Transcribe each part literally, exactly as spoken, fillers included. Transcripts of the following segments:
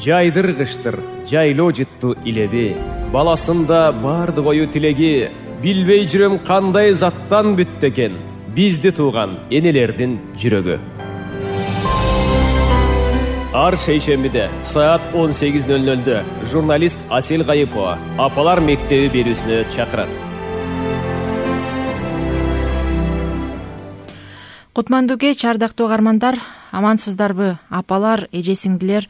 жайдыргычтыр, жайлоо жытту илеби. Баласында бардык ою тилеги, билбей жүрөм кандай заттан бүттү экен бизди тууган энелердин жүрөгү. Ар шейшембиде саат он сегиз ноль нольдө журналист Асель Кайыпова Апалар мектеби берүүсүнө чакырат. Кутмандуу кеч, ардактуу угармандар, амансыздарбы? Апалар, эже-сиңдилер,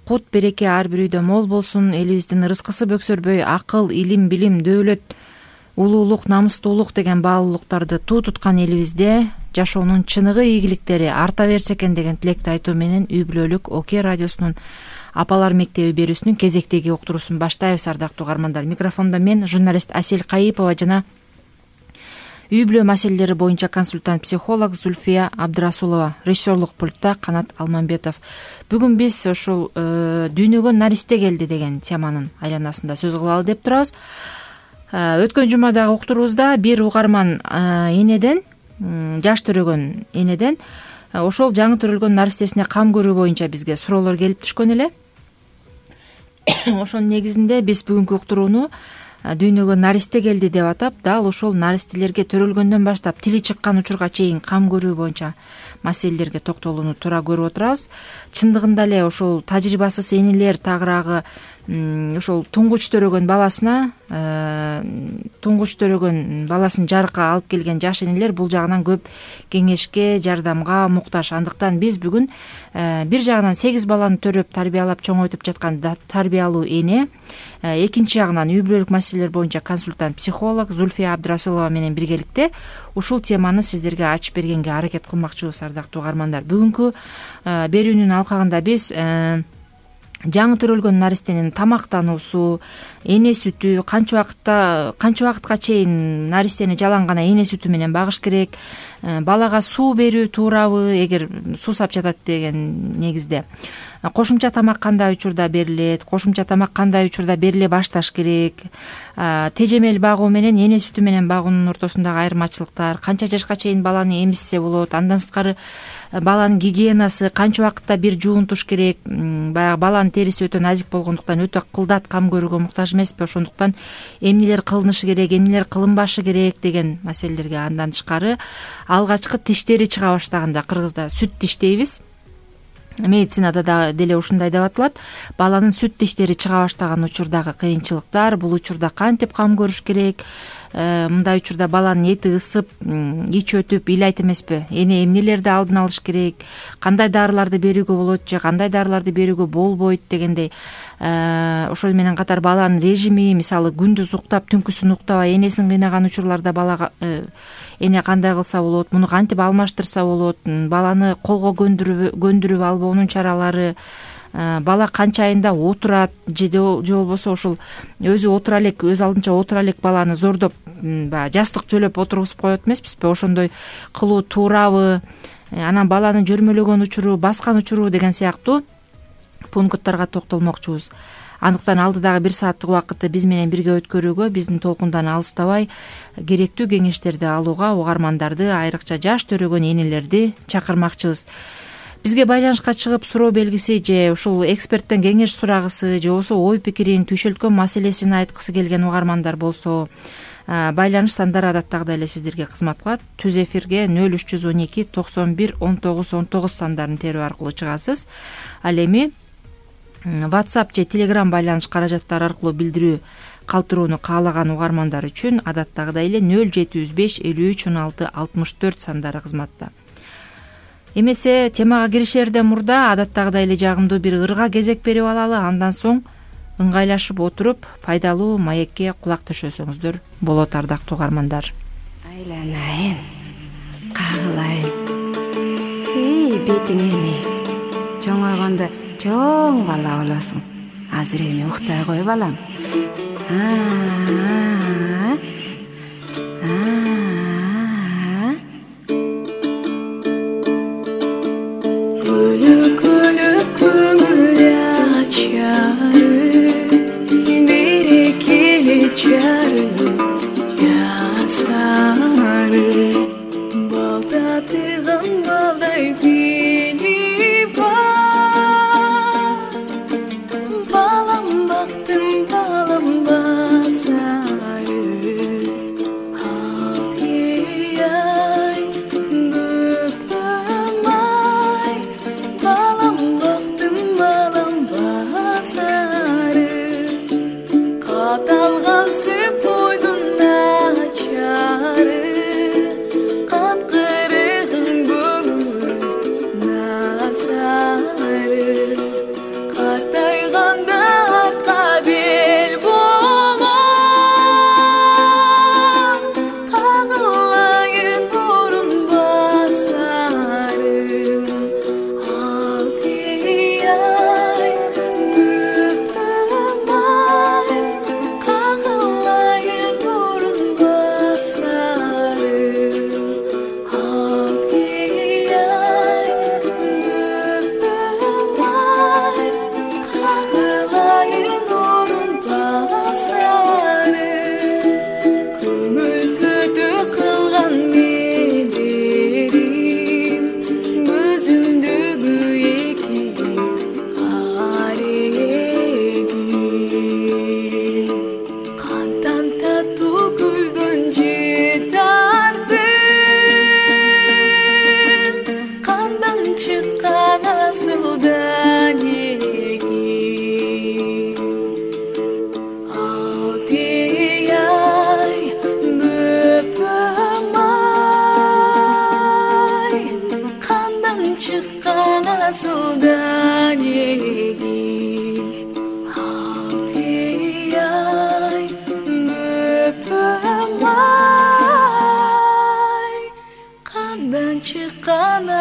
кут береке ар бир үйдө мол болсун, элибиздин ырыскысы бөксөрбөй, акыл, илим, билим, дөөлөт, улуулук, намыстуулук деген баалуулуктарды туу туткан элибизде жашоонун чыныгы ийгиликтери арта берсе экен деген тилекти айтуу менен үй бүлөлүк Оке радиосунун Апалар мектеби берүүсүнүн кезектеги уктуруусун баштайбыз. Ардактуу угармандар, микрофондо мен, журналист Асель Кайыпова жана үй бүлө маселелери боюнча консультант психолог Зульфия Абдрасулова, режиссерлук пультта Канат Алмамбетов. Бүгүн биз ушул дүйнөгө наристе келди деген теманын айланасында сөз кылалы деп турабыз. Өткөн жумадагы уктуруубузда бир угарман энеден, жаш төрөгөн энеден ошол жаңы төрөлгөн наристесине кам көрүү боюнча бизге суроолор келип түшкөн эле. Ошонун негизинде биз бүгүнкү уктурууну дүйнөгө наристе келди деп атап, дал ошол наристелерге төрөлгөндөн баштап тили чыккан учурга чейин кам көрүү боюнча маселелерге токтолууну туура көрүп отурабыз. Чындыгында эле ошол тажрыйбасыз энелер тагыраагы ошол туңгуч төрөгөн баласына, туңгуч төрөгөн баласын жарыкка алып келген жаш энелер бул жагынан көп кеңешке, жардамга муктаж. Андыктан биз бүгүн бир жагынан сегиз баланы төрөп, тарбиялап, чоңойтуп жаткан тарбиялуу эне, экинчи жагынан үй бүлөлүк маселелер боюнча консультант психолог Зульфия Абдрасулова менен биргеликте ушул теманы сиздерге ачып бергенге аракет кылмакчыбыз. Ардактуу угармандар, бүгүнкү берүүнүн алкагында биз жаңы төрөлгөн наристенин тамактануусу, эне сүтү, канча убакытта канча убакытка чейин наристени жалаң гана эне сүтү менен багыш керек, балага суу берүү туурабы, эгер суу сап жатат деген негизде, кошумча тамак кандай учурда берилет, кошумча тамак кандай учурда бериле башташ керек, тежемел багуу менен эне сүтү менен багуунун ортосундагы айырмачылыктар, канча жашка чейин баланы эмизсе болот, андан сырткары баланын гигиенасы, канча убакытта бир жуунтуш керек, баягы баланын териси өтө назик болгондуктан өтө кылдат кам көрүүгө муктаж эмеспи, ошондуктан эмнелер кылынышы керек, эмнелер кылынбашы керек деген маселелерге, андан тышкары алгачкы тиштери чыга баштаганда, кыргызда сүт тиш дейбиз, медицинада да деле ушундай деп атылат, баланын сүт тиштери чыга баштаган учурдагы кыйынчылыктар, бул учурда кантип кам көрүш керек, мындай учурда баланын эти ысып, ич өтүп, ыйлайт эмеспи, эне эмнелерди алдын алыш керек, кандай дарыларды берүүгө болот же кандай дарыларды берүүгө болбойт дегендей, ошол менен катар баланын режими, мисалы күндүз уктап, түнкүсүн уктабай энесин кыйнаган учурларда балага эне кандай кылса болот, муну кантип алмаштырса болот, баланы колго көндүрүп албоонун чаралары, бала канча айында отурат же же болбосо ошол өзү отура элек, өз алдынча отура элек баланы зордоп, баягы жастык жөлөп отургузуп коет эмеспизби, ошондой кылуу туурабы, анан баланы жөрмөлөгөн учуру, баскан учуру деген сыяктуу пункттарга токтолмокчубуз. Андыктан алдыдагы бир сааттык убакытты биз менен бирге өткөрүүгө, биздин толкундан алыстабай керектүү кеңештерди алууга угармандарды, айрыкча жаш төрөгөн энелерди чакырмакчыбыз. Бизге байланышка чыгып суроо белгиси же ушул эксперттен кеңеш сурагысы же болбосо ой пикирин, түйшөлткөн маселесин айткысы келген угармандар болсо, байланыш сандары адаттагыдай эле сиздерге кызмат кылат. Түз эфирге нөл үч жүз он эки токсон бир он тогуз он тогуз сандарын терүү аркылуу чыгасыз. Ал эми WhatsApp же Telegram байланыш каражаттары аркылуу билдирүү калтырууну каалаган угармандар үчүн адаттагыдай эле нөл жети жүз беш элүү үч он алты алтымыш төрт сандары кызматта. Эмесе темага киришерден мурда адаттагыдай эле жагымдуу бир ырга кезек берип алалы, андан соң ыңгайлашып отуруп пайдалуу маекке кулак төшөсөңүздөр болот. Ардактуу угармандар, айланайын, кагылайын, эй бетиңени, чоңойгондо чоң бала болосуң. Азыр эми уктай кой балам. Күлүп күлүп көңүл ачары, берекелеп жарып жасары, балтатыган балдай тили бар,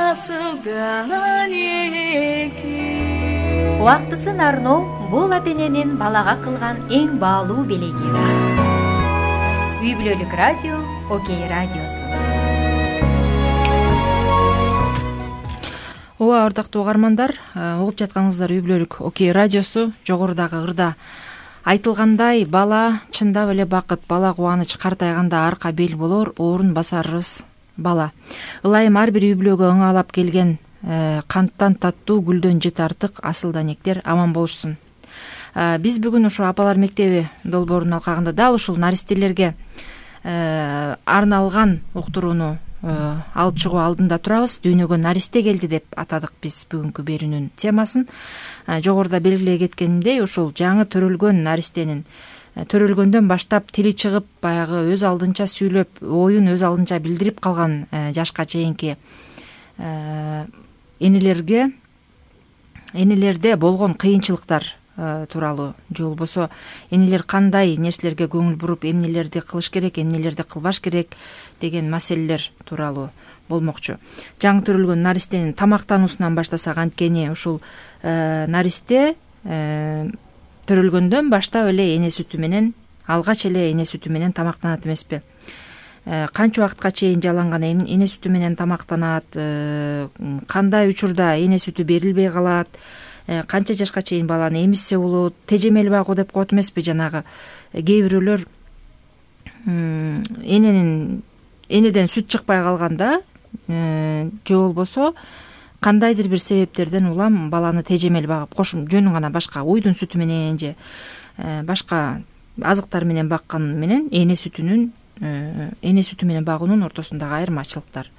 асылдан эки. Убактысын арноо бул ата эненин балага кылган эң баалуу белеги. Үй бүлөлүк радио Окей радиосу. Ооба, ардактуу угармандар, угуп жатканыңыздар Үй бүлөлүк Окей радиосу. Жогорудагы ырда айтылгандай, бала чындап эле бакыт, бала кубаныч, картайганда арка бел болор, орун басарыбыз бала. Ылайым ар бир үй бүлөгө ыңалап келген канттан таттуу, гүлдөн жыт артык асыл данектер аман болушсун. Биз бүгүн ошо апалар мектеби долбоорунун алкагында дал ушул наристелерге арналган уктурууну алып чыгуу алдында турабыз. Дүйнөгө наристе келди деп атадык биз бүгүнкү берүүнүн темасын. Жогоруда белгилей кеткенимдей, ушул жаңы төрөлгөн наристенин төрөлгөндөн баштап тили чыгып, баягы өз алдынча сүйлөп, оюн өз алдынча билдирип калган жашка чейинки энелерге энелерде болгон кыйынчылыктар тууралуу, же болбосо энелер кандай нерселерге көңүл буруп, эмнелерди кылыш керек, эмнелерди кылбаш керек деген маселелер тууралуу болмокчу. Жаңы төрөлгөн наристенин тамактануусунан баштасак, анткени ушул наристе төрөлгөндөн баштап эле эне сүтү менен, алгач эле эне сүтү менен тамактанат эмеспи? Канча убакытка чейин жаланган эне сүтү менен тамактанат, кандай учурда эне сүтү берилбей калат, канча жашка чейин баланы эмизсе болот, тежемел багуу деп коет эмеспи? Жанагы кээ бирөөлөр эненин энеден сүт чыкпай калганда, же болбосо кандайдыр бир себептерден улам баланы тежемел багып, кошум жөнүн гана башка уйдун сүтү менен же башка азыктар менен баккан менен эне сүтүнүн эне сүтү менен багуунун ортосундагы айырмачылыктар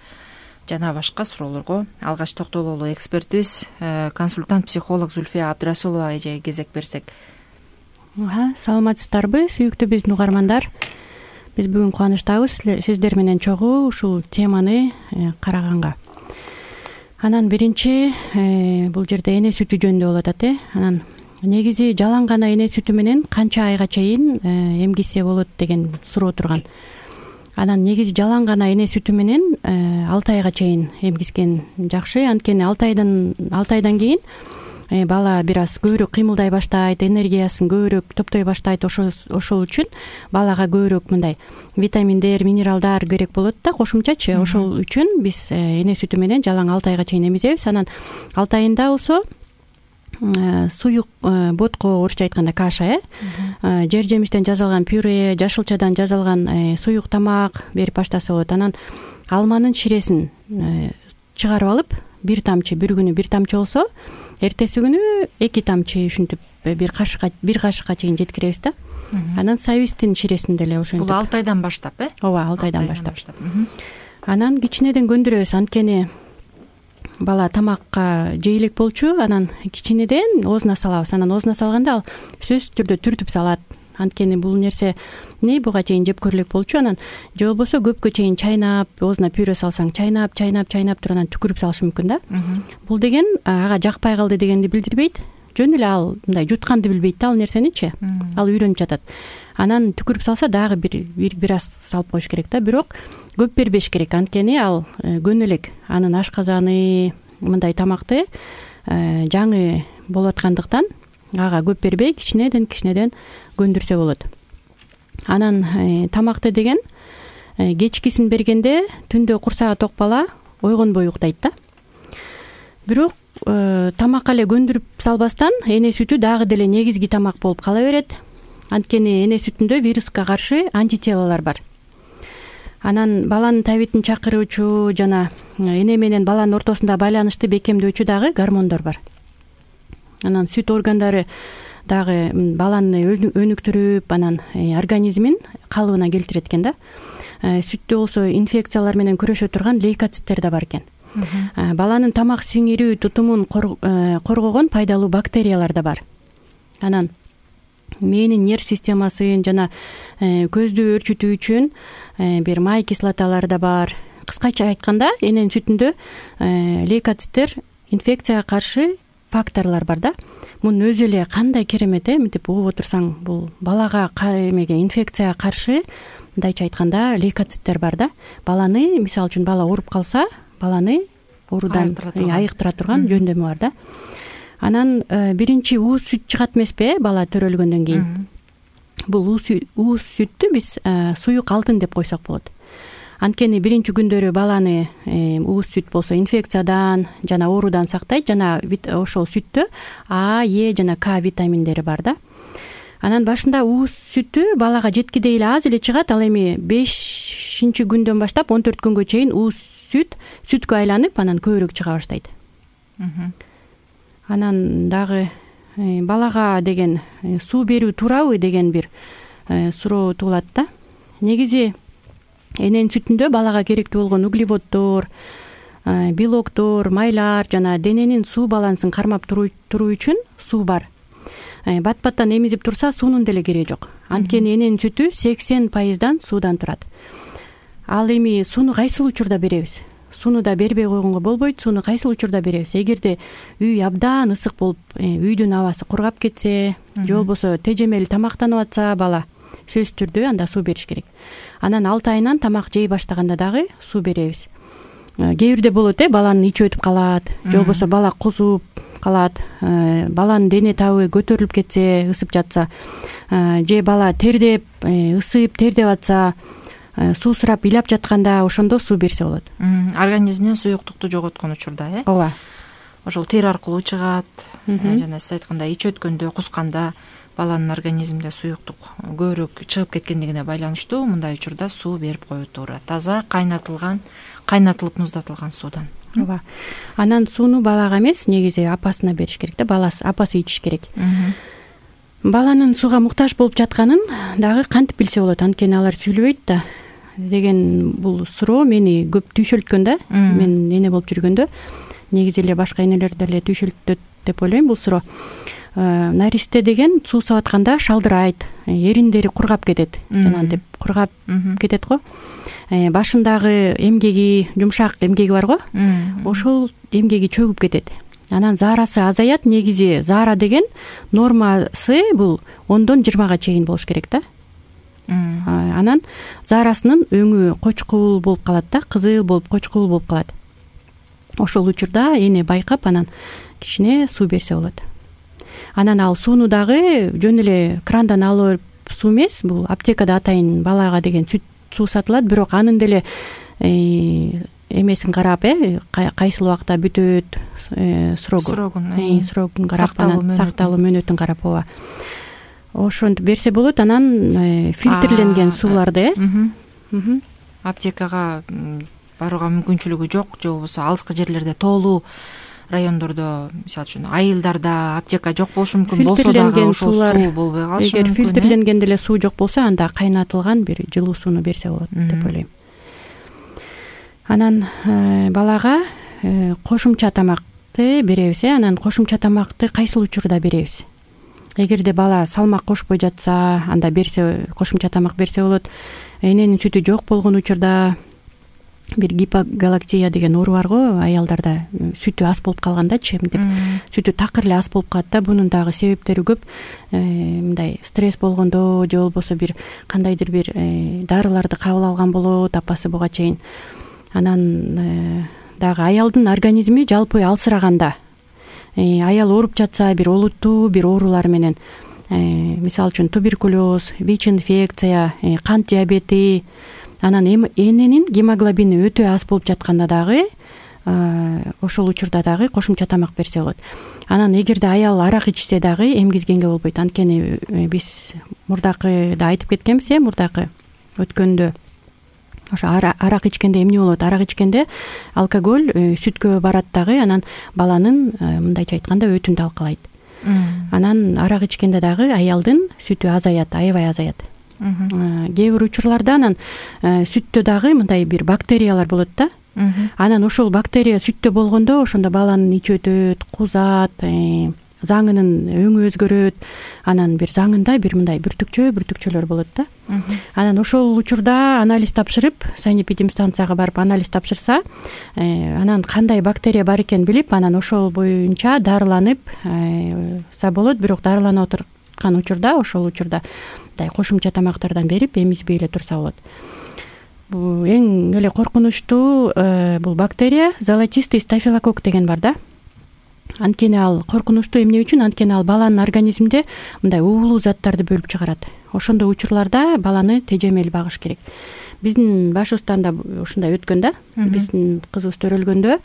жана башка суроолорго алгач токтололу экспертибиз, консультант психолог Зульфия Абдрасулова эжеге кезек берсек. Саламатсыздарбы, сүйүктүү биздин угармандар. Биз бүгүн кубанычтабыз сиздер менен чогуу ушул теманы караганга. Анан биринчи бул жерде эне сүтү жөнүндө болуп атат э. Анан негизи жаланган эне сүтү менен канча айга чейин эмгисе болот деген суроо турган. Анан негизи жаланган эне сүтү менен алты айга чейин эмгискен жакшы. Анткени алты айдан алты айдан кийин бала бир аз көбүрөөк кыймылдай баштайт, энергиясын көбүрөөк топтой баштайт. Ошол ошол үчүн балага көбүрөөк мындай витаминдер, минералдар керек болот да, кошумчачы. Ошол үчүн биз эне сүтү менен жалаң алты айга чейин эмизебиз. Анан алты айында болсо суюк ботко, орусча айтканда каша, э жер жемиштен жасалган пюре, жашылчадан жасалган суюк тамак берип баштаса болот. Анан алманын ширесин чыгарып алып, бир тамчы, бир күнү бир тамчы болсо, эртеси күнү эки тамчы ушинтип бир кашыкка бир кашыкка чейин жеткиребиз да. Анан сабиздин ширесин деле ошентип. Бул алты айдан баштап, э? Ооба, алты айдан баштап. Анан кичинеден көндүрөбүз, анткени бала тамакка жей элек болчу. Анан кичинеден оозуна салабыз. Анан оозуна салганда ал сөзсүз түрдө түртүп салат. Анткени бул нерсе эмне буга чейин жеп көрө элек болчу. Анан же болбосо көпкө чейин чайнап, оозуна пюре салсаң, чайнап, чайнап, чайнап туруп анан түкүрүп салышы мүмкүн да. Бул деген ага жакпай калды дегенди билдирбейт. Жөн эле ал мындай жутканды билбейт да ал нерсеничи. Ал үйрөнүп жатат. Анан түкүрүп салса дагы бир бир бир аз салып коюш керек да. Бирок көп бербеш керек, анткени ал көнө элек анын ашказаны мындай тамакты жаңы болуп аткандыктан ага көп бербей кичинеден кичинеден көндүрсө болот. Анан тамакты деген кечкисин бергенде түндө курсагы ток бала ойгонбой уктайт да. Бирок тамакка эле көндүрүп салбастан эне сүтү дагы деле негизги тамак болуп кала берет. Анткени эне сүтүндө вируска каршы антителалар бар. Анан баланын табитин чакыруучу жана эне менен баланын ортосунда байланышты бекемдөөчү дагы гормондор бар. Анан сүт органдары дагы баланы өнүктүрүп, анан организмин калыбына келтирет экен да. Сүттө болсо инфекциялар менен күрөшө турган лейкоциттер да бар экен. Баланын тамак сиңирүү тутумун коргогон пайдалуу бактериялар да бар. Анан мээнин нерв системасын жана көздү өөрчүтүү үчүн бир май кислоталары да бар. Кыскача айтканда, эненин сүтүндө лейкоциттер инфекцияга каршы факторлор бар да. Мунун өзү эле кандай керемет, э, мынтип угуп отурсаң, бул балага эмеге инфекцияга каршы мындайча айтканда лейкоциттер бар да. Баланы, мисалы үчүн бала ооруп калса, баланы оорудан айыктыра турган жөндөмү бар да. Анан биринчи ууз сүт чыгат эмеспи, бала төрөлгөндөн кийин. Бул ууз сүттү биз суюк алтын деп койсок болот. Анткени биринчи күндөрү баланы ууз сүт болсо инфекциядан жана оорудан сактайт, жана ошол сүттө А, Е жана К витаминдери бар да. Анан башында ууз сүтү балага жеткидей эле аз эле чыгат, ал эми бешинчи күндөн баштап он төрт күнгө чейин ууз сүт сүткө айланып, анан көбүрөөк чыга баштайт. Анан дагы балага деген суу берүү туурабы деген бир суроо туулат да. Негизи эненин сүтүндө балага керектүү болгон углеводдор, белоктор, майлар жана дененин суу балансын кармап туруу үчүн суу бар. Бат-баттан эмизип турса суунун деле кереги жок. Анткени эненин сүтү сексен пайыздан суудан турат. Ал эми сууну кайсыл учурда беребиз? Сууну да бербей койгонго болбойт. Сууну кайсыл учурда беребиз? Эгерде үй абдан ысык болуп, үйдүн абасы кургап кетсе, же болбосо тежемели тамактанып атса бала, сөзсүз түрдө анда суу бериш керек. Анан алты айынан тамак жей баштаганда дагы суу беребиз. Кээ бирде болот, э баланын ичи өтүп калат, же болбосо бала кузуп калат, баланын дене табы көтөрүлүп кетсе, ысып жатса, же бала тердеп, ысып, тердеп атса, суу сурап ыйлап жатканда ошондо суу берсе болот. Организмден суюктукту жоготкон учурда, э? Ооба. Ошол тер аркылуу чыгат, жана сиз айткандай ич өткөндө, кусканда баланын организминде суюктук көбүрөөк чыгып кеткендигине байланыштуу мындай учурда суу берип коюу туура. Таза кайнатылган, кайнатылып муздатылган суудан. Ооба. Анан сууну балага эмес, негизи апасына бериш керек да, баласы, апасы ичиш керек. Баланын сууга муктаж болуп жатканын дагы кантип билсе болот? Анткени алар сүйлөбөйт да деген бул суроо мени көп түйшөлткөн да. Мен эне болуп жүргөндө, негизи эле башка энелер деле түйшөлтөт деп ойлойм бул суроо. Наристе деген суу сап атканда шалдырайт, эриндери кургап кетет, жанагынтип кургап кетет го. Башындагы эмгеги, жумшак эмгеги бар го, ошол эмгеги чөгүп кетет. Анан заарасы азаят. Негизи заара деген нормасы бул ондон жыйырмага чейин болуш керек да. Анан заарасынын өңү кочкул болуп калат да, кызыл болуп, кочкул болуп калат. Ошол учурда эне байкап, анан кичине суу берсе болот. Анан ал сууну дагы жөн эле крандан алып суу эмес, бул аптекада атайын балага деген сүт суу сатылат, бирок анын деле эмесин карап, э кайсыл убакта бүтөт, срогун срогун карап, анан сакталуу мөөнөтүн карап, ооба. Ошентип берсе болот. Анан фильтрленген сууларды, э аптекага барууга мүмкүнчүлүгү жок, же болбосо алыскы жерлерде, тоолуу райондордо, мисалы үчүн айылдарда аптека жок болушу мүмкүн болсо дагы ошол суу болбой калышы мүмкүн. Эгер фильтрленген деле суу жок болсо, анда кайнатылган бир жылуу сууну берсе болот деп ойлойм. Анан балага кошумча тамакты беребиз, э анан кошумча тамакты кайсыл учурда беребиз? Эгерде бала салмак кошпой жатса, анда берсе, кошумча тамак берсе болот. Эненин сүтү жок болгон учурда, бир гипогалактия деген оору бар го, аялдарда сүтү аз болуп калгандачы, мынтип сүтү такыр эле аз болуп калат да. Бунун дагы себептери көп. Мындай стресс болгондо, же болбосо бир кандайдыр бир дарыларды кабыл алган болот апасы буга чейин. Анан дагы аялдын организми жалпы алсыраганда, аял ооруп жатса, бир олуттуу бир оорулар менен, мисалы үчүн туберкулез, ВИЧ-инфекция, кант диабети, анан эненин гемоглобини өтө аз болуп жатканда дагы ошол учурда дагы кошумча тамак берсе болот. Анан эгерде аял арак ичсе дагы эмгизгенге болбойт. Анткени биз мурдакыда айтып кеткенбиз, э мурдакы өткөндө ошо арак ичкенде эмне болот? Арак ичкенде алкоголь сүткө барат дагы, анан баланын мындайча айтканда өтүн талкалайт. Анан арак ичкенде дагы аялдын сүтү азаят, аябай азаят. Кээ бир учурларда анан сүттө дагы мындай бир бактериялар болот да. Анан ошол бактерия сүттө болгондо, ошондо баланын ичи өтөт, кузат, заңынын өңү өзгөрөт. Анан бир заңында бир мындай бүртүкчө бүртүкчөлөр болот да. Анан ошол учурда анализ тапшырып, санэпидемстанцияга барып анализ тапшырса, анан кандай бактерия бар экенин билип, анан ошол боюнча дарыланып са болот. Бирок дарыланып отурган учурда, ошол учурда мындай кошумча тамактардан берип эмизбей эле турса болот. эң эле коркунучтуу бул бактерия золотистый стафилококк деген бар да. Анткени ал коркунучтуу эмне үчүн? Анткени ал баланын организминде мындай уулуу заттарды бөлүп чыгарат. Ошондой учурларда баланы тежемел багыш керек. Биздин башыбыздан да ушундай өткөн да. Биздин кызыбыз төрөлгөндө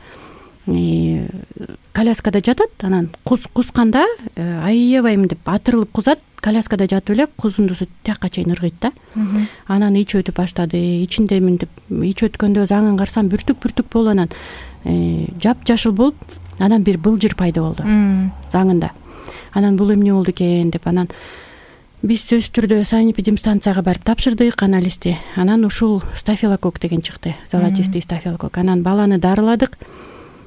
коляскада жатат, анан кусканда аябайм деп атырылып кузат, коляскада жатып эле кузундусу тияка чейин ыргыйт да. Анан ич өтүп баштады. Ичиндемин деп ич өткөндө заңын карасам бүртүк-бүртүк болуп, анан жапжашыл болуп, анан бир былжыр пайда болду заңында. Анан бул эмне болду экен деп, анан биз сөзсүз түрдө санэпидемстанцияга барып тапшырдык анализди. Анан ушул стафилококк деген чыкты, золотистый стафилококк. Анан баланы дарыладык.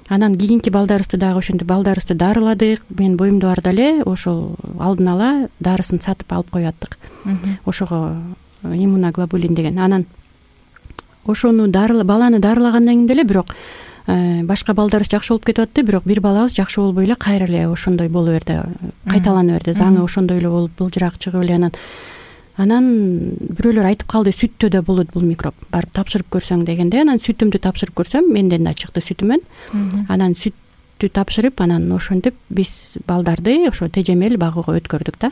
Анан кийинки балдарыбызды дагы ошентип балдарыбызды дарыладык. Мен боюмда барда эле ошол алдын ала дарысын сатып алып коюп аттык. Ошого иммуноглобулин деген. Анан ошону баланы дарылагандан кийин деле бирок башка балдарыбыз жакшы болуп кетип атты, бирок бир балабыз жакшы болбой эле кайра эле ошондой боло берди, кайталана берди. Заңы ошондой эле болуп былжыраак чыгып эле анан анан бирөөлөр айтып калды, сүттө да болот бул микроб, барып тапшырып көрсөң дегенде. Анан сүтүмдү тапшырып көрсөм, менден да чыкты сүтүмөн. Анан сүттү тапшырып, анан ошентип биз балдарды ошо тежемел багууга өткөрдүк да.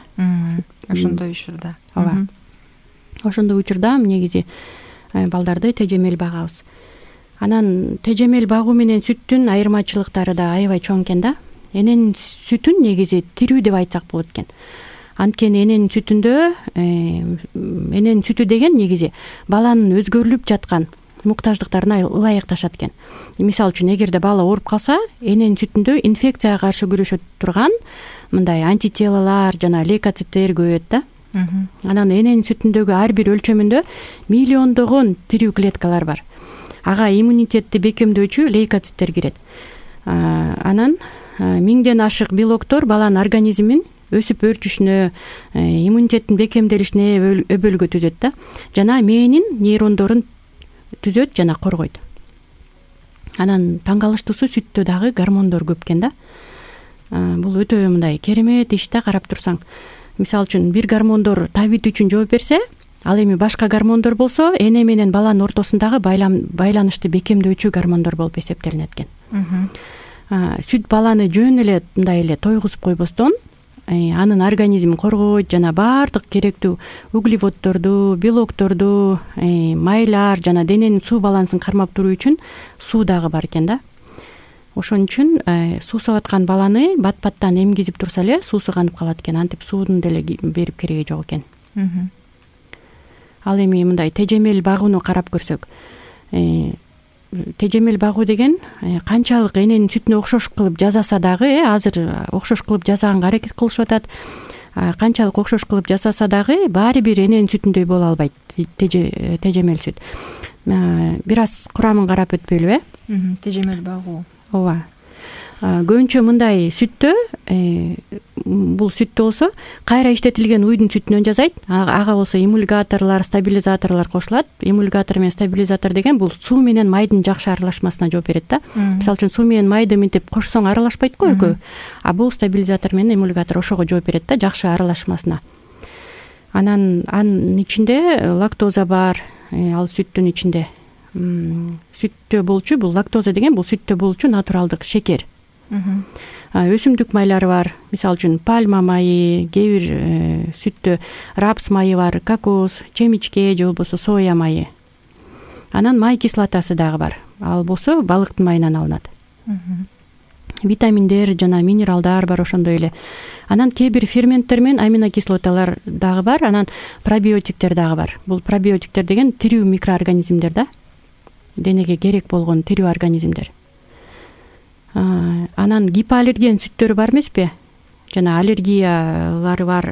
Ошондой учурда. Ооба. Ошондой учурда негизи балдарды тежемел багабыз. Анан тежемел багуу менен сүттүн айырмачылыктары да аябай чоң экен да. Эненин сүтүн негизи тирүү деп айтсак болот экен. Анткени эненин сүтүндө эненин сүтү деген негизи баланын өзгөрүлүп жаткан муктаждыктарына ылайыкташат экен. Мисалы үчүн, эгерде бала ооруп калса, эненин сүтүндө инфекцияга каршы күрөшө турган мындай антителолор жана лейкоциттер көбөйөт да. Анан эненин сүтүндөгү ар бир өлчөмүндө миллиондогон тирүү клеткалар бар. Ага иммунитетти бекемдөөчү лейкоциттер кирет. Анан миңден ашык белоктор баланын организмин өсүп өөрчүшүнө, иммунитеттин бекемделишине өбөлгө түзөт да. Жана мээнин нейрондорун түзөт жана коргойт. Анан таң калыштуусу сүттө дагы гормондор көп экен да. Бул өтө мындай керемет иш да, карап турсаң. Мисалы үчүн, бир гормондор табит үчүн жооп берсе, ал эми башка гормондор болсо эне менен баланын ортосундагы байланышты бекемдөөчү гормондор болуп эсептелинет экен. Сүт баланы жөн эле мындай эле тойгузуп койбостон, анын организмин коргойт жана баардык керектүү углеводдорду, белокторду, майлар жана дененин суу балансын кармап туруу үчүн суу дагы бар экен да. Ошон үчүн суусап аткан баланы бат-баттан эмгизип турса эле суусу канып калат экен. Антип суудун деле берип кереги жок экен. Ал эми мындай тежемел багууну карап көрсөк, тежемел багуу деген канчалык эненин сүтүнө окшош кылып жасаса дагы, азыр окшош кылып жасаганга аракет кылышып атат. Канчалык окшош кылып жасаса дагы баары бир эненин сүтүндөй боло албайт тежемел сүт. Бир аз курамын карап өтпөйлүбү, э? Тежемел багуу. Ооба. Көбүнчө мындай сүттө, бул сүттө болсо кайра иштетилген уйдун сүтүнөн жасайт. Ага болсо эмульгаторлор, стабилизаторлор кошулат. Эмульгатор менен стабилизатор деген бул суу менен майдын жакшы аралашмасына жооп берет да. Мисалы үчүн, суу менен майды мынтип кошсоң аралашпайт го экөө. А бул стабилизатор менен эмульгатор ошого жооп берет да, жакшы аралашмасына. Анан анын ичинде лактоза бар, ал сүттүн ичинде. Сүттө болчу, бул лактоза деген бул сүттө болчу натуралдык шекер. Өсүмдүк майлары бар. Мисалы үчүн, пальма майы, кээ бир сүттө рапс майы бар, кокос, чемичке же болбосо соя майы. Анан май кислотасы дагы бар. Ал болсо балыктын майынан алынат. Витаминдер жана минералдар бар ошондой эле. Анан кээ бир ферменттер менен аминокислоталар дагы бар. Анан пробиотиктер дагы бар. Бул пробиотиктер деген тирүү микроорганизмдер да. Денеге керек болгон тирүү организмдер. Анан гипоаллерген сүттөрү бар эмеспи? Жана аллергиялары бар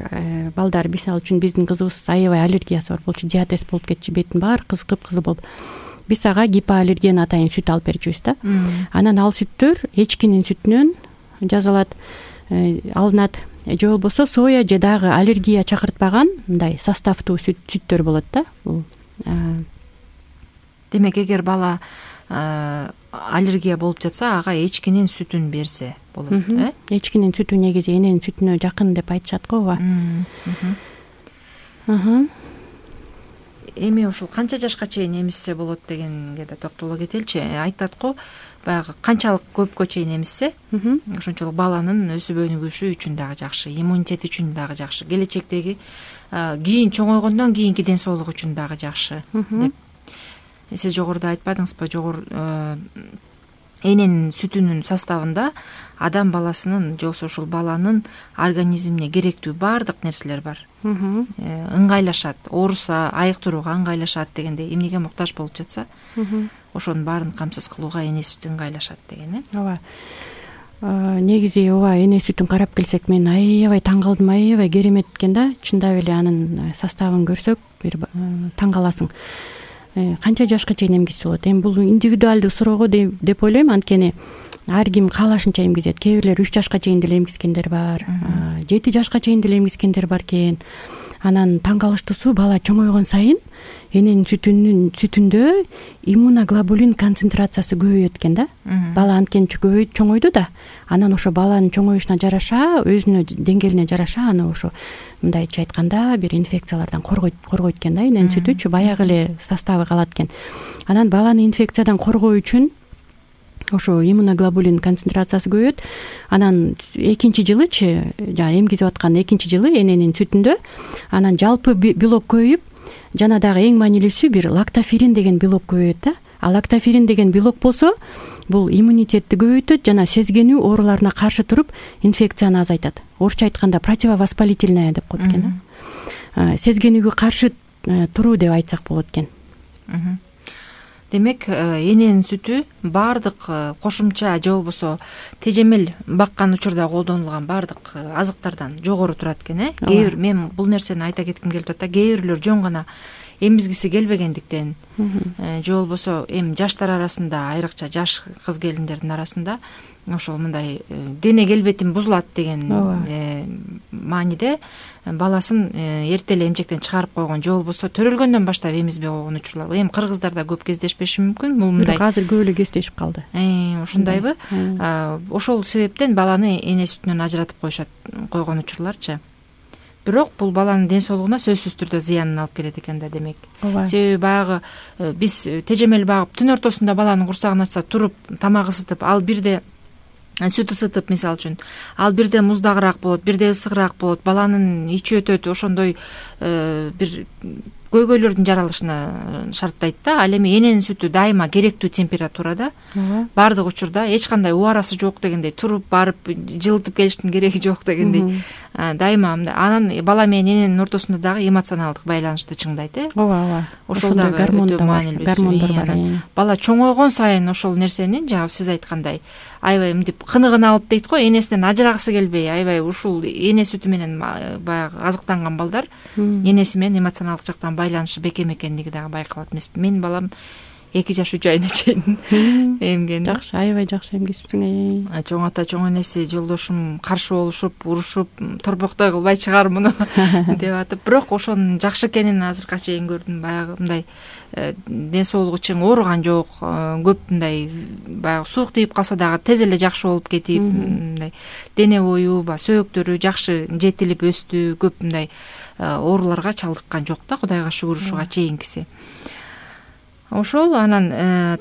балдар, мисалы үчүн биздин кызыбыз аябай аллергиясы бар болчу, диатез болуп кетчү, бетин баары кыз кып-кызыл болуп. Биз ага гипоаллерген атайын сүт алып берчүбүз да. Анан ал сүттөр эчкинин сүтүнөн жасалат, алынат. Же болбосо соя же дагы аллергия чакыртпаган мындай составтуу сүттөр болот да. Демек, эгер бала аллергия болуп жатса, ага эчкинин сүтүн берсе болот, э? Эчкинин сүтү негизи эненин сүтүнө жакын деп айтышат го, ооба. эми ушул канча жашка чейин эмизсе болот дегенге да токтоло кетеличи. Айтат го баягы канчалык көпкө чейин эмизсе ошончолук баланын өсүп өнүгүшү үчүн дагы жакшы, иммунитет үчүн дагы жакшы, келечектеги кийин чоңойгондон кийинки ден соолук үчүн дагы жакшы деп. Сиз жогоруда айтпадыңызбы, жогор эненин сүтүнүн составында адам баласынын же болбосо ушул баланын организмине керектүү баардык нерселер бар. Ыңгайлашат, ооруса айыктырууга ыңгайлашат дегенде, эмнеге муктаж болуп жатса ошонун баарын камсыз кылууга эне сүтү ыңгайлашат деген э. Ооба. Негизи ооба, эне сүтүн карап келсек мен аябай таң калдым, аябай керемет экен да. Чындап эле анын составын көрсөк бир таң каласың. Канча жашка чейин эмгизсе болот? Эми бул индивидуалдуу суроого деп ойлойм, анткени ар ким каалашынча эмгизет. Кээ бирлер үч жашка чейин деле эмгизгендер бар, жети жашка чейин деле эмгизгендер бар экен. Анан таң калыштуусу, бала чоңойгон сайын эненин сүтүнүн сүтүндө иммуноглобулин концентрациясы көбөйөт экен да. Бала анткени көбөйүп чоңойду да. Анан ошо баланын чоңоюшуна жараша, өзүнө деңгээлине жараша аны ошо мындайча айтканда бир инфекциялардан коргойт коргойт экен да. Эненин сүтүчү баягы эле составы калат экен. Анан баланы инфекциядан коргоо үчүн ошо иммуноглобулин концентрациясы көбөйөт. Анан экинчи жылычы, жана эмгизип аткан экинчи жылы эненин сүтүндө анан жалпы белок көбөйүп, жана дагы эң маанилүүсү бир лактоферин деген белок көбөйөт да. А лактоферин деген белок болсо, бул иммунитетти көбөйтөт жана сезгенүү ооруларына каршы туруп, инфекцияны азайтат. Орусча айтканда противовоспалительная деп коет экен да. Сезгенүүгө каршы туруу деп айтсак болот экен. Демек, эненин сүтү баардык кошумча же болбосо тежемел баккан учурда колдонулган баардык азыктардан жогору турат экен э. Кээ бир мен бул нерсени айта кетким келип атат да. Кээ бирлер жөн гана эмизгиси келбегендиктен же болбосо эми жаштар арасында, айрыкча жаш кыз келиндердин арасында ошол мындай дене келбетим бузулат деген мааниде баласын эрте эле эмчектен чыгарып койгон же болбосо төрөлгөндөн баштап эмизбей койгон учурлар. Эми кыргыздарда көп кездешпеши мүмкүн. Бул мындай. Азыр көп эле кездешип калды. Ушундайбы? Ошол себептен баланы эне сүтүнөн ажыратып коюшат, койгон учурларчы. Бирок бул баланын ден соолугуна сөзсүз түрдө зыянын алып келет экен да, демек. Себеби баягы биз тежемел багып түн ортосунда баланын курсагын ачса туруп тамак ысытып, ал бирде сүт ысытып, мисалы үчүн, ал бирде муздагыраак болот, бирде ысыгыраак болот, баланын ичи өтөт, ошондой бир көйгөйлөрдүн жаралышына шарттайт да. Ал эми эненин сүтү дайыма керектүү температурада, баардык учурда эч кандай убарасы жок дегендей, туруп барып жылытып келиштин кереги жок дегендей, дайыма. Анан бала менен эненин ортосунда дагы эмоционалдык байланышты чыңдайт э. Ооба, ооба. Ошол дагы өтө маанилүү. Гормондор бар. Бала чоңойгон сайын ошол нерсенин, жана сиз айткандай, аябай мынтип кыныгын алып дейт го, энесинен ажырагысы келбей, аябай ушул эне сүтү менен баягы азыктанган балдар энеси менен эмоционалдык жактан байланышы бекем экендиги дагы байкалат эмеспи. Менин балам эки жаш үч айына чейин эмген. Жакшы, аябай жакшы эмгизипсиң. Чоң ата, чоң энеси, жолдошум каршы болушуп, урушуп, торбоктой кылбай чыгар муну деп атып, бирок ошонун жакшы экенин азыркыга чейин көрдүм. Баягы мындай ден соолугу чың ооруган жок, көп мындай баягы суук тийип калса дагы тез эле жакшы болуп кетип, мындай дене бою, ба сөөктөрү жакшы жетилип өстү, көп мындай ооруларга чалдыккан жок да, Кудайга шүгүр ушуга чейинкиси. Ошол анан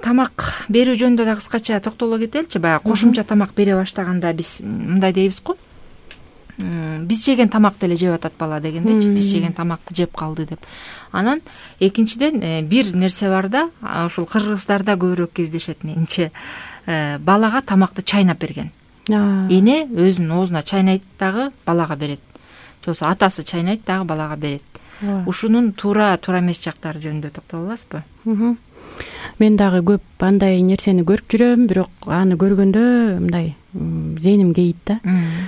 тамак берүү жөнүндө да кыскача токтоло кетеличи. Баягы кошумча тамак бере баштаганда биз мындай дейбиз го. Биз жеген тамакты эле жеп атат бала дегендечи, биз жеген тамакты жеп калды деп. Анан экинчиден бир нерсе бар да, ошол кыргыздарда көбүрөөк кездешет менимче. Балага тамакты чайнап берген. Эне өзүнүн оозуна чайнайт дагы балага берет. Же болбосо атасы чайнайт дагы балага берет. Ушунун туура туура эмес жактары жөнүндө токтоло аласызбы? Мен дагы көп андай нерсени көрүп жүрөм, бирок аны көргөндө мындай зээним кейит да.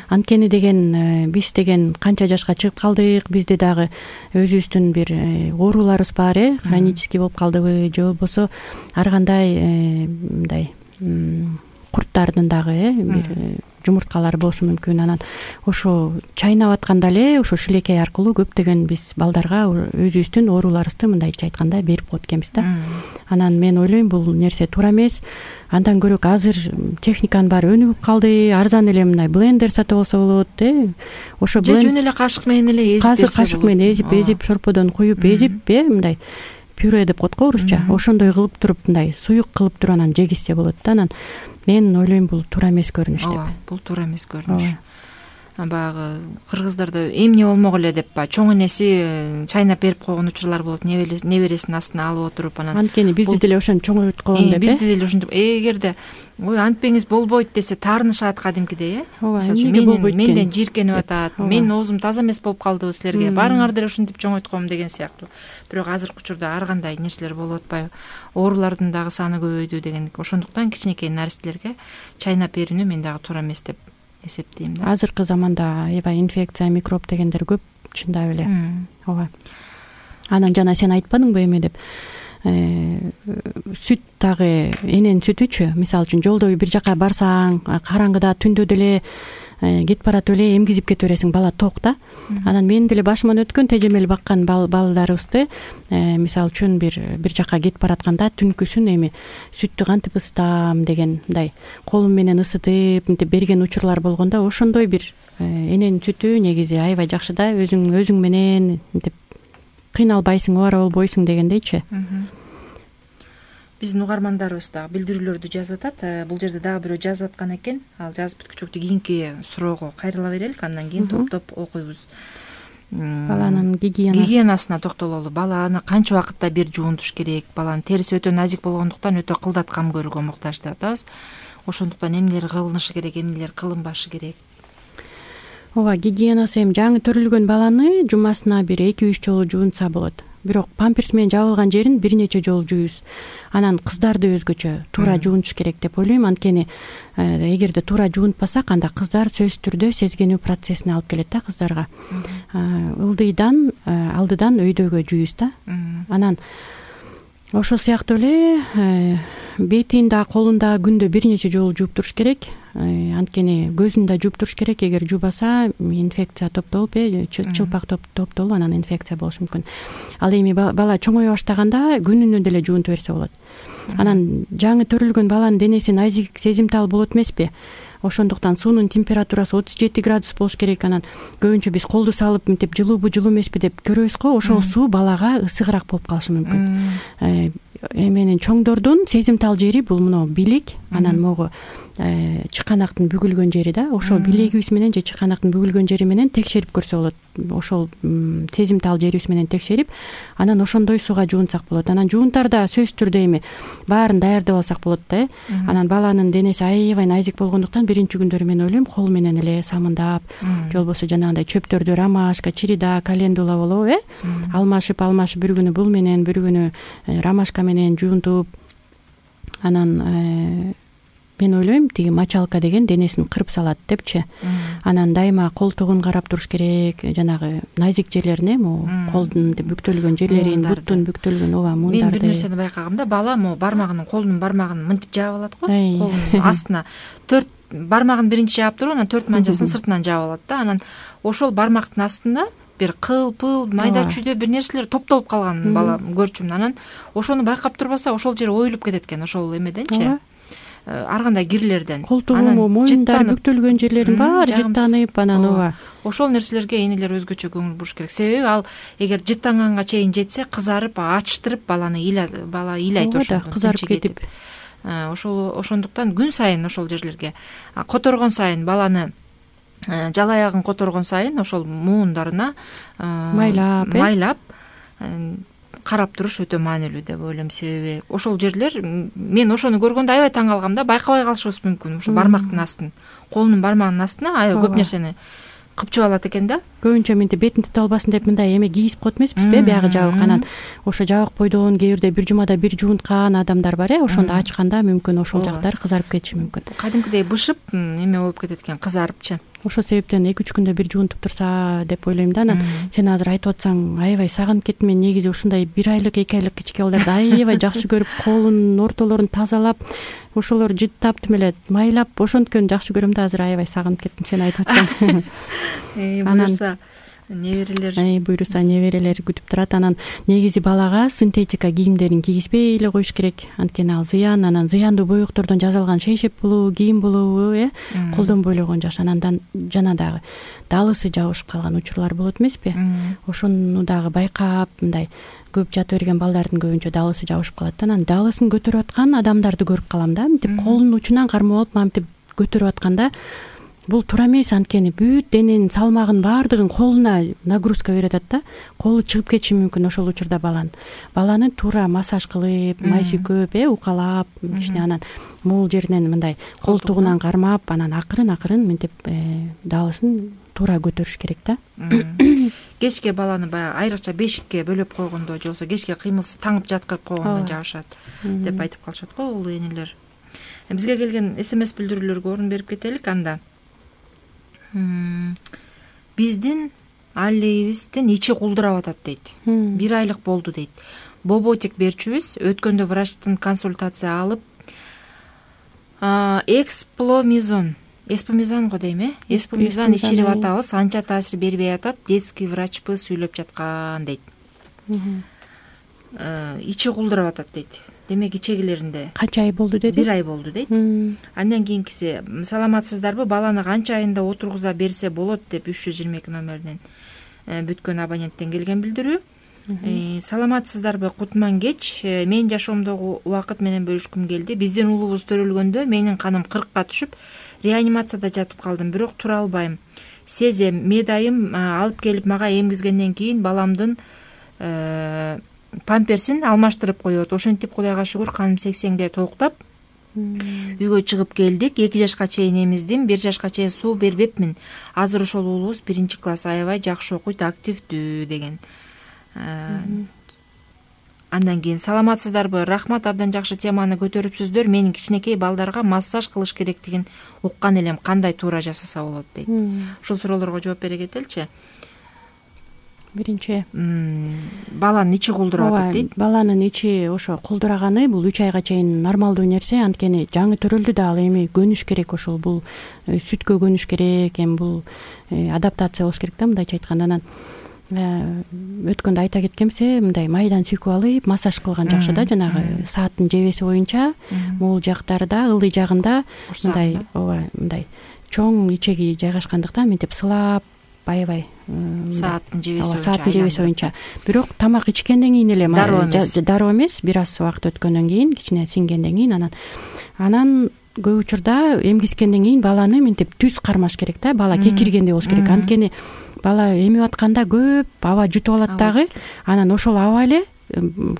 Анткени деген биз деген канча жашка чыгып калдык, бизде дагы өзүбүздүн бир ооруларыбыз бар э, хронический болуп калдыбы, же болбосо ар кандай мындай курттардын дагы э бир жумурткалар болушу мүмкүн. Анан ошо чайнап атканда эле ошо шилекей аркылуу көптөгөн биз балдарга өзүбүздүн ооруларыбызды мындайча айтканда берип коет экенбиз да. Анан мен ойлойм бул нерсе туура эмес. Андан көрөк азыр техниканын баары өнүгүп калды, арзан эле мындай блендер сатып алса болот, э. Ошо же жөн эле кашык менен эле эзип берсе болот. Азыр кашык менен эзип, эзип шорподон куюп эзип, э, мындай пюре деп коет го орусча. Ошондой кылып туруп, мындай суюк кылып туруп анан жегизсе болот да. Анан мен ойлойм бул туура эмес көрүнүш деп. Бул туура эмес көрүнүш. Баягы кыргыздарда эмне болмок эле деп баягы чоң энеси чайнап берип койгон учурлар болот, небересинин астына алып отуруп анан. Анткени бизди деле ошону чоңойтуп койгон деп, э. Бизди деле ошентип, эгерде ой антпеңиз болбойт десе таарынышат кадимкидей, э. Мисалы үчүн менден жийиркенип атат, менин оозум таза эмес болуп калдыбы силерге, барыңар деле ушинтип чоңойтуп коем деген сыяктуу. Бирок азыркы учурда ар кандай нерселер болуп атпайбы, оорулардын дагы саны көбөйдү деген. Ошондуктан кичинекей наристелерге чайнап берүүнү мен дагы туура эмес деп эсептейм да. Азыркы заманда аябай инфекция, микроб дегендер көп, чындап эле. Ооба. Анан жана сен айтпадыңбы эме деп, сүт дагы эненин сүтүчү, мисалы үчүн жолдо бир жака барсаң, караңгыда түндө деле кетип баратып эле эмгизип кете бересиң, бала ток да. Анан менин деле башыман өткөн тежемели баккан балдарыбызды мисалы үчүн бир бир жака кетип баратканда түнкүсүн эми сүттү кантип ысытам деген мындай колум менен ысытып мынтип берген учурлар болгондо, ошондой бир эненин сүтү негизи аябай жакшы да, өзүң өзүң менен мынтип кыйналбайсың, оора болбойсуң дегендейчи. Биздин угармандарыбыз дагы билдирүүлөрдү жазып атат. Бул жерде дагы бирөө жазып аткан экен. Ал жазып бүткүчөктү кийинки суроого кайрыла берелик, андан кийин топтоп окуйбуз. Баланын гигиенасы. Гигиенасына токтололу. Баланы канча убакытта бир жуунтуш керек? Баланын териси өтө назик болгондуктан өтө кылдат кам көрүүгө муктаж деп атабыз. Ошондуктан эмнелер кылынышы керек, эмнелер кылынбашы керек? Ооба, гигиенасы эми жаңы төрүлгөн баланы жумасына бир эки үч жолу жуунса болот. Бирок памперс менен жабылган жерин бир нече жолу жуйбуз. Анан кыздарды өзгөчө туура жуунтуш керек деп ойлойм. Анткени эгерде туура жуунтпасак, анда кыздар сөзсүз түрдө сезгенүү процессине алып келет да кыздарга. Ылдыйдан алдыдан өйдөгө жуйбуз да. Анан ошол сыяктуу эле бетин да, колун да күндө бир нече жолу жууп туруш керек. Анткени көзүн да жууп туруш керек. Эгер жуубаса инфекция топтолуп, э чылпак топтолуп анан инфекция болушу мүмкүн. Ал эми бала чоңое баштаганда күнүнө деле жуунтуп берсе болот. Анан жаңы төрүлгөн баланын денеси назик, сезимтал болот эмеспи? Ошондуктан суунун температурасы отуз жети градус болуш керек. Анан көбүнчө биз колду салып мынтип жылуубу жылуу эмеспи деп көрөбүз го. Ошол суу балага ысыгыраак болуп калышы мүмкүн. Эменин чоңдордун сезимтал жери бул мына билек, анан могу чыканактын бүгүлгөн жери да. Ошол билегибиз менен же чыканактын бүгүлгөн жери менен текшерип көрсө болот. Ошол сезимтал жерибиз менен текшерип, анан ошондой сууга жуунсак болот. Анан жуунтарда сөзсүз түрдө эми баарын даярдап алсак болот да. Анан баланын денеси аябай назик болгондуктан биринчи күндөрү мен ойлойм кол менен эле самындап, же болбосо жанагындай чөптөрдү ромашка, чирида, календула болобу, э? Алмашып, алмашып бир күнү бул менен, бир күнү ромашка менен жуунтуп, анан мен ойлойм тиги мочалка деген денесин кырып салат депчи. Анан дайыма колтугун карап туруш керек, жанагы назик жерлерине, могу колдун бүктөлгөн жерлерин, буттун бүктөлгөн ооба муундарды. Мен бир нерсени байкагам да, бала могу бармагынын, колунун бармагын мынтип жаап алат го, колунун астына төрт бармагын биринчи жаап туруп, анан төрт манжасын сыртынан жаап алат да. Анан ошол бармактын астында бир кыл, пыл, майда чүйдө бир нерселер топтолуп калган бала көрчүмүн. Анан ошону байкап турбаса, ошол жери оюлуп кетет экен, ошол эмеденчи. Ар кандай кирлерден. Колтугу, моюндар бүктөлгөн жерлерин баары жыттанып, анан ооба. Ошол нерселерге энелер өзгөчө көңүл буруш керек. Себеби ал эгер жыттанганга чейин жетсе, кызарып, ачтырып баланы бала ыйлайт ошол. Кызарып кетип. Ошол ошондуктан күн сайын ошол жерлерге которгон сайын баланы жала аягын которгон сайын ошол муундарына майлап, майлап карап туруш өтө маанилүү деп ойлойм. Себеби ошол жерлер, мен ошону көргөндө аябай таң калгам да, байкабай калышыбыз мүмкүн. Ошол бармактын астын, колунун бармагынын астына аябай көп нерсени кыпчып алат экен да. Көбүнчө мынтип бетин тите албасын деп мындай эме кийип коет эмеспизби, биягы жабык. Анан ошо жабык бойдон кээ бирде бир жумада бир жуунткан адамдар бар, э, ошондо ачканда мүмкүн ошол жактар кызарып кетиши мүмкүн. Кадимкидей бышып эме болуп кетет экен, кызарыпчы. ошол себептен эки үч күндө бир жуунтуп турса деп ойлойм да. Анан сен азыр айтып атсаң аябай сагынып кеттим. Мен негизи ушундай бир айлык эки айлык кичике балдарды аябай жакшы көрүп, колунун ортолорун тазалап, ошолор жыттап тим эле майлап ошонткөн жакшы көрөм да. Азыр аябай сагынып кеттим сен айтып атсаң. Буюрса неберелер буюрса неберелер күтүп турат. Анан негизи балага синтетика кийимдерин кийгизбей эле коюш керек, анткени ал зыян. Анан зыяндуу боектордон жасалган шейшеп болобу, кийим болобу э колдонбой эле койгон жакшы. Анан жана дагы далысы жабышып калган учурлар болот эмеспи? Ошону дагы байкап, мындай көп жата берген балдардын көбүнчө далысы жабышып калат да. Анан далысын көтөрүп аткан адамдарды көрүп калам да. Мынтип колунун учунан кармап алып мынтип көтөрүп атканда бул туура эмес, анткени бүт дененин салмагын баардыгын колуна нагрузка берип атат да. Колу чыгып кетиши мүмкүн ошол учурда баланын. Баланы туура массаж кылып, май сүйкөп, э укалап, кичине анан могул жеринен мындай колтугунан кармап, анан акырын-акырын мынтип далысын туура көтөрүш керек да. Кечке баланы баягы айрыкча бешикке бөлөп койгондо же болбосо кечке кыймылсыз таңып жаткырып койгондо жабышат деп айтып калышат го улуу энелер. Бизге келген смс билдирүүлөргө орун берип кетелик анда. Биздин аллейибиздин ичи кулдурап атат дейт. Бир айлык болду дейт. Боботик берчүбүз. Өткөндө врачтын консультация алып, экспломизон, эспомизан го дейм, э? Эспомизан ичирип атабыз, анча таасир бербей атат. Детский врачпы сүйлөп жаткан дейт. Ичи кулдурап атат дейт. Демек ичегилеринде канча ай болду деди? Бир ай болду дейт. Андан кийинкиси, саламатсыздарбы, баланы канча айында отургуза берсе болот деп үч жүз жыйырма эки номеринен бүткөн абоненттен келген билдирүү. Саламатсыздарбы, кутман кеч. Менин жашоомдогу убакыт менен бөлүшкүм келди. Биздин уулубуз төрөлгөндө менин каным кыркка түшүп, реанимацияда жатып калдым, бирок тура албайм. Сезем, медайым алып келип мага эмгизгенден кийин баламдын памперсин алмаштырып коет. Ошентип Кудайга шүгүр каным сексенде толуктап үйгө чыгып келдик. эки жашка чейин эмиздим, бир жашка чейин суу бербепмин. Азыр ошол уулубуз биринчи класс, аябай жакшы окуйт, активдүү деген. Андан кийин саламатсыздарбы, рахмат, абдан жакшы теманы көтөрүпсүздөр. Менин кичинекей балдарга массаж кылыш керектигин уккан элем, кандай туура жасаса болот дейт. Ушул суроолорго жооп бере кетеличи. Биринчи, баланын ичи кулдурап атат дейт. Баланын ичи ошо кулдураганы бул үч айга чейин нормалдуу нерсе, анткени жаңы төрөлдү да, ал эми көнүш керек, ошол бул сүткө көнүш керек, эми бул адаптация болуш керек да, мындайча айтканда. Анан өткөндө айта кеткемсе, мындай майдан сүйкүп алып массаж кылган жакшы да, жанагы сааттын жебеси боюнча могул жактарда, ылдый жагында мындай, ооба, мындай чоң ичеги жайгашкандыктан мынтип сылап аябай сааттын жебеси боюнча. Сааттын жебеси боюнча. Бирок тамак ичкенден кийин эле дароо эмес, бир аз убакыт өткөндөн кийин, кичине сиңгенден кийин, анан анан көп учурда эмгискенден кийин баланы мынтип түз кармаш керек да, бала кекиргенде болуш керек. Анткени бала эмип атканда көп аба жутуп алат дагы, анан ошол аба эле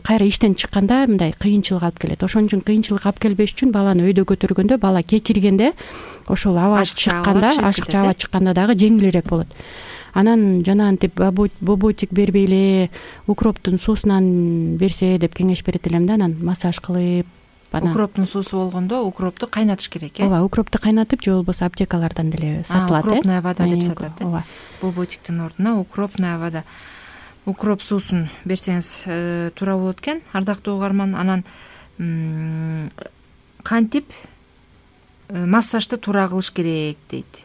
кайра иштен чыкканда мындай кыйынчылык алып келет. Ошон үчүн кыйынчылык алып келбеш үчүн баланы өйдө көтөргөндө, бала кекиргенде ошол аба чыкканда, ашыкча аба чыкканда дагы жеңилирээк болот. Анан жана антип боботик бербей эле укроптун суусунан берсе деп кеңеш берет элем да. Анан массаж кылып, укроптун суусу болгондо укропту кайнатыш керек, э? Ооба, укропту кайнатып, же болбосо аптекалардан деле сатылат, э? Укропная вода деп сатат, э? Ооба. Боботиктин ордуна укропная вода. Укроп суусун берсеңиз туура болот экен, ардактуу угарман. Анан кантип массажды туура кылыш керек дейт.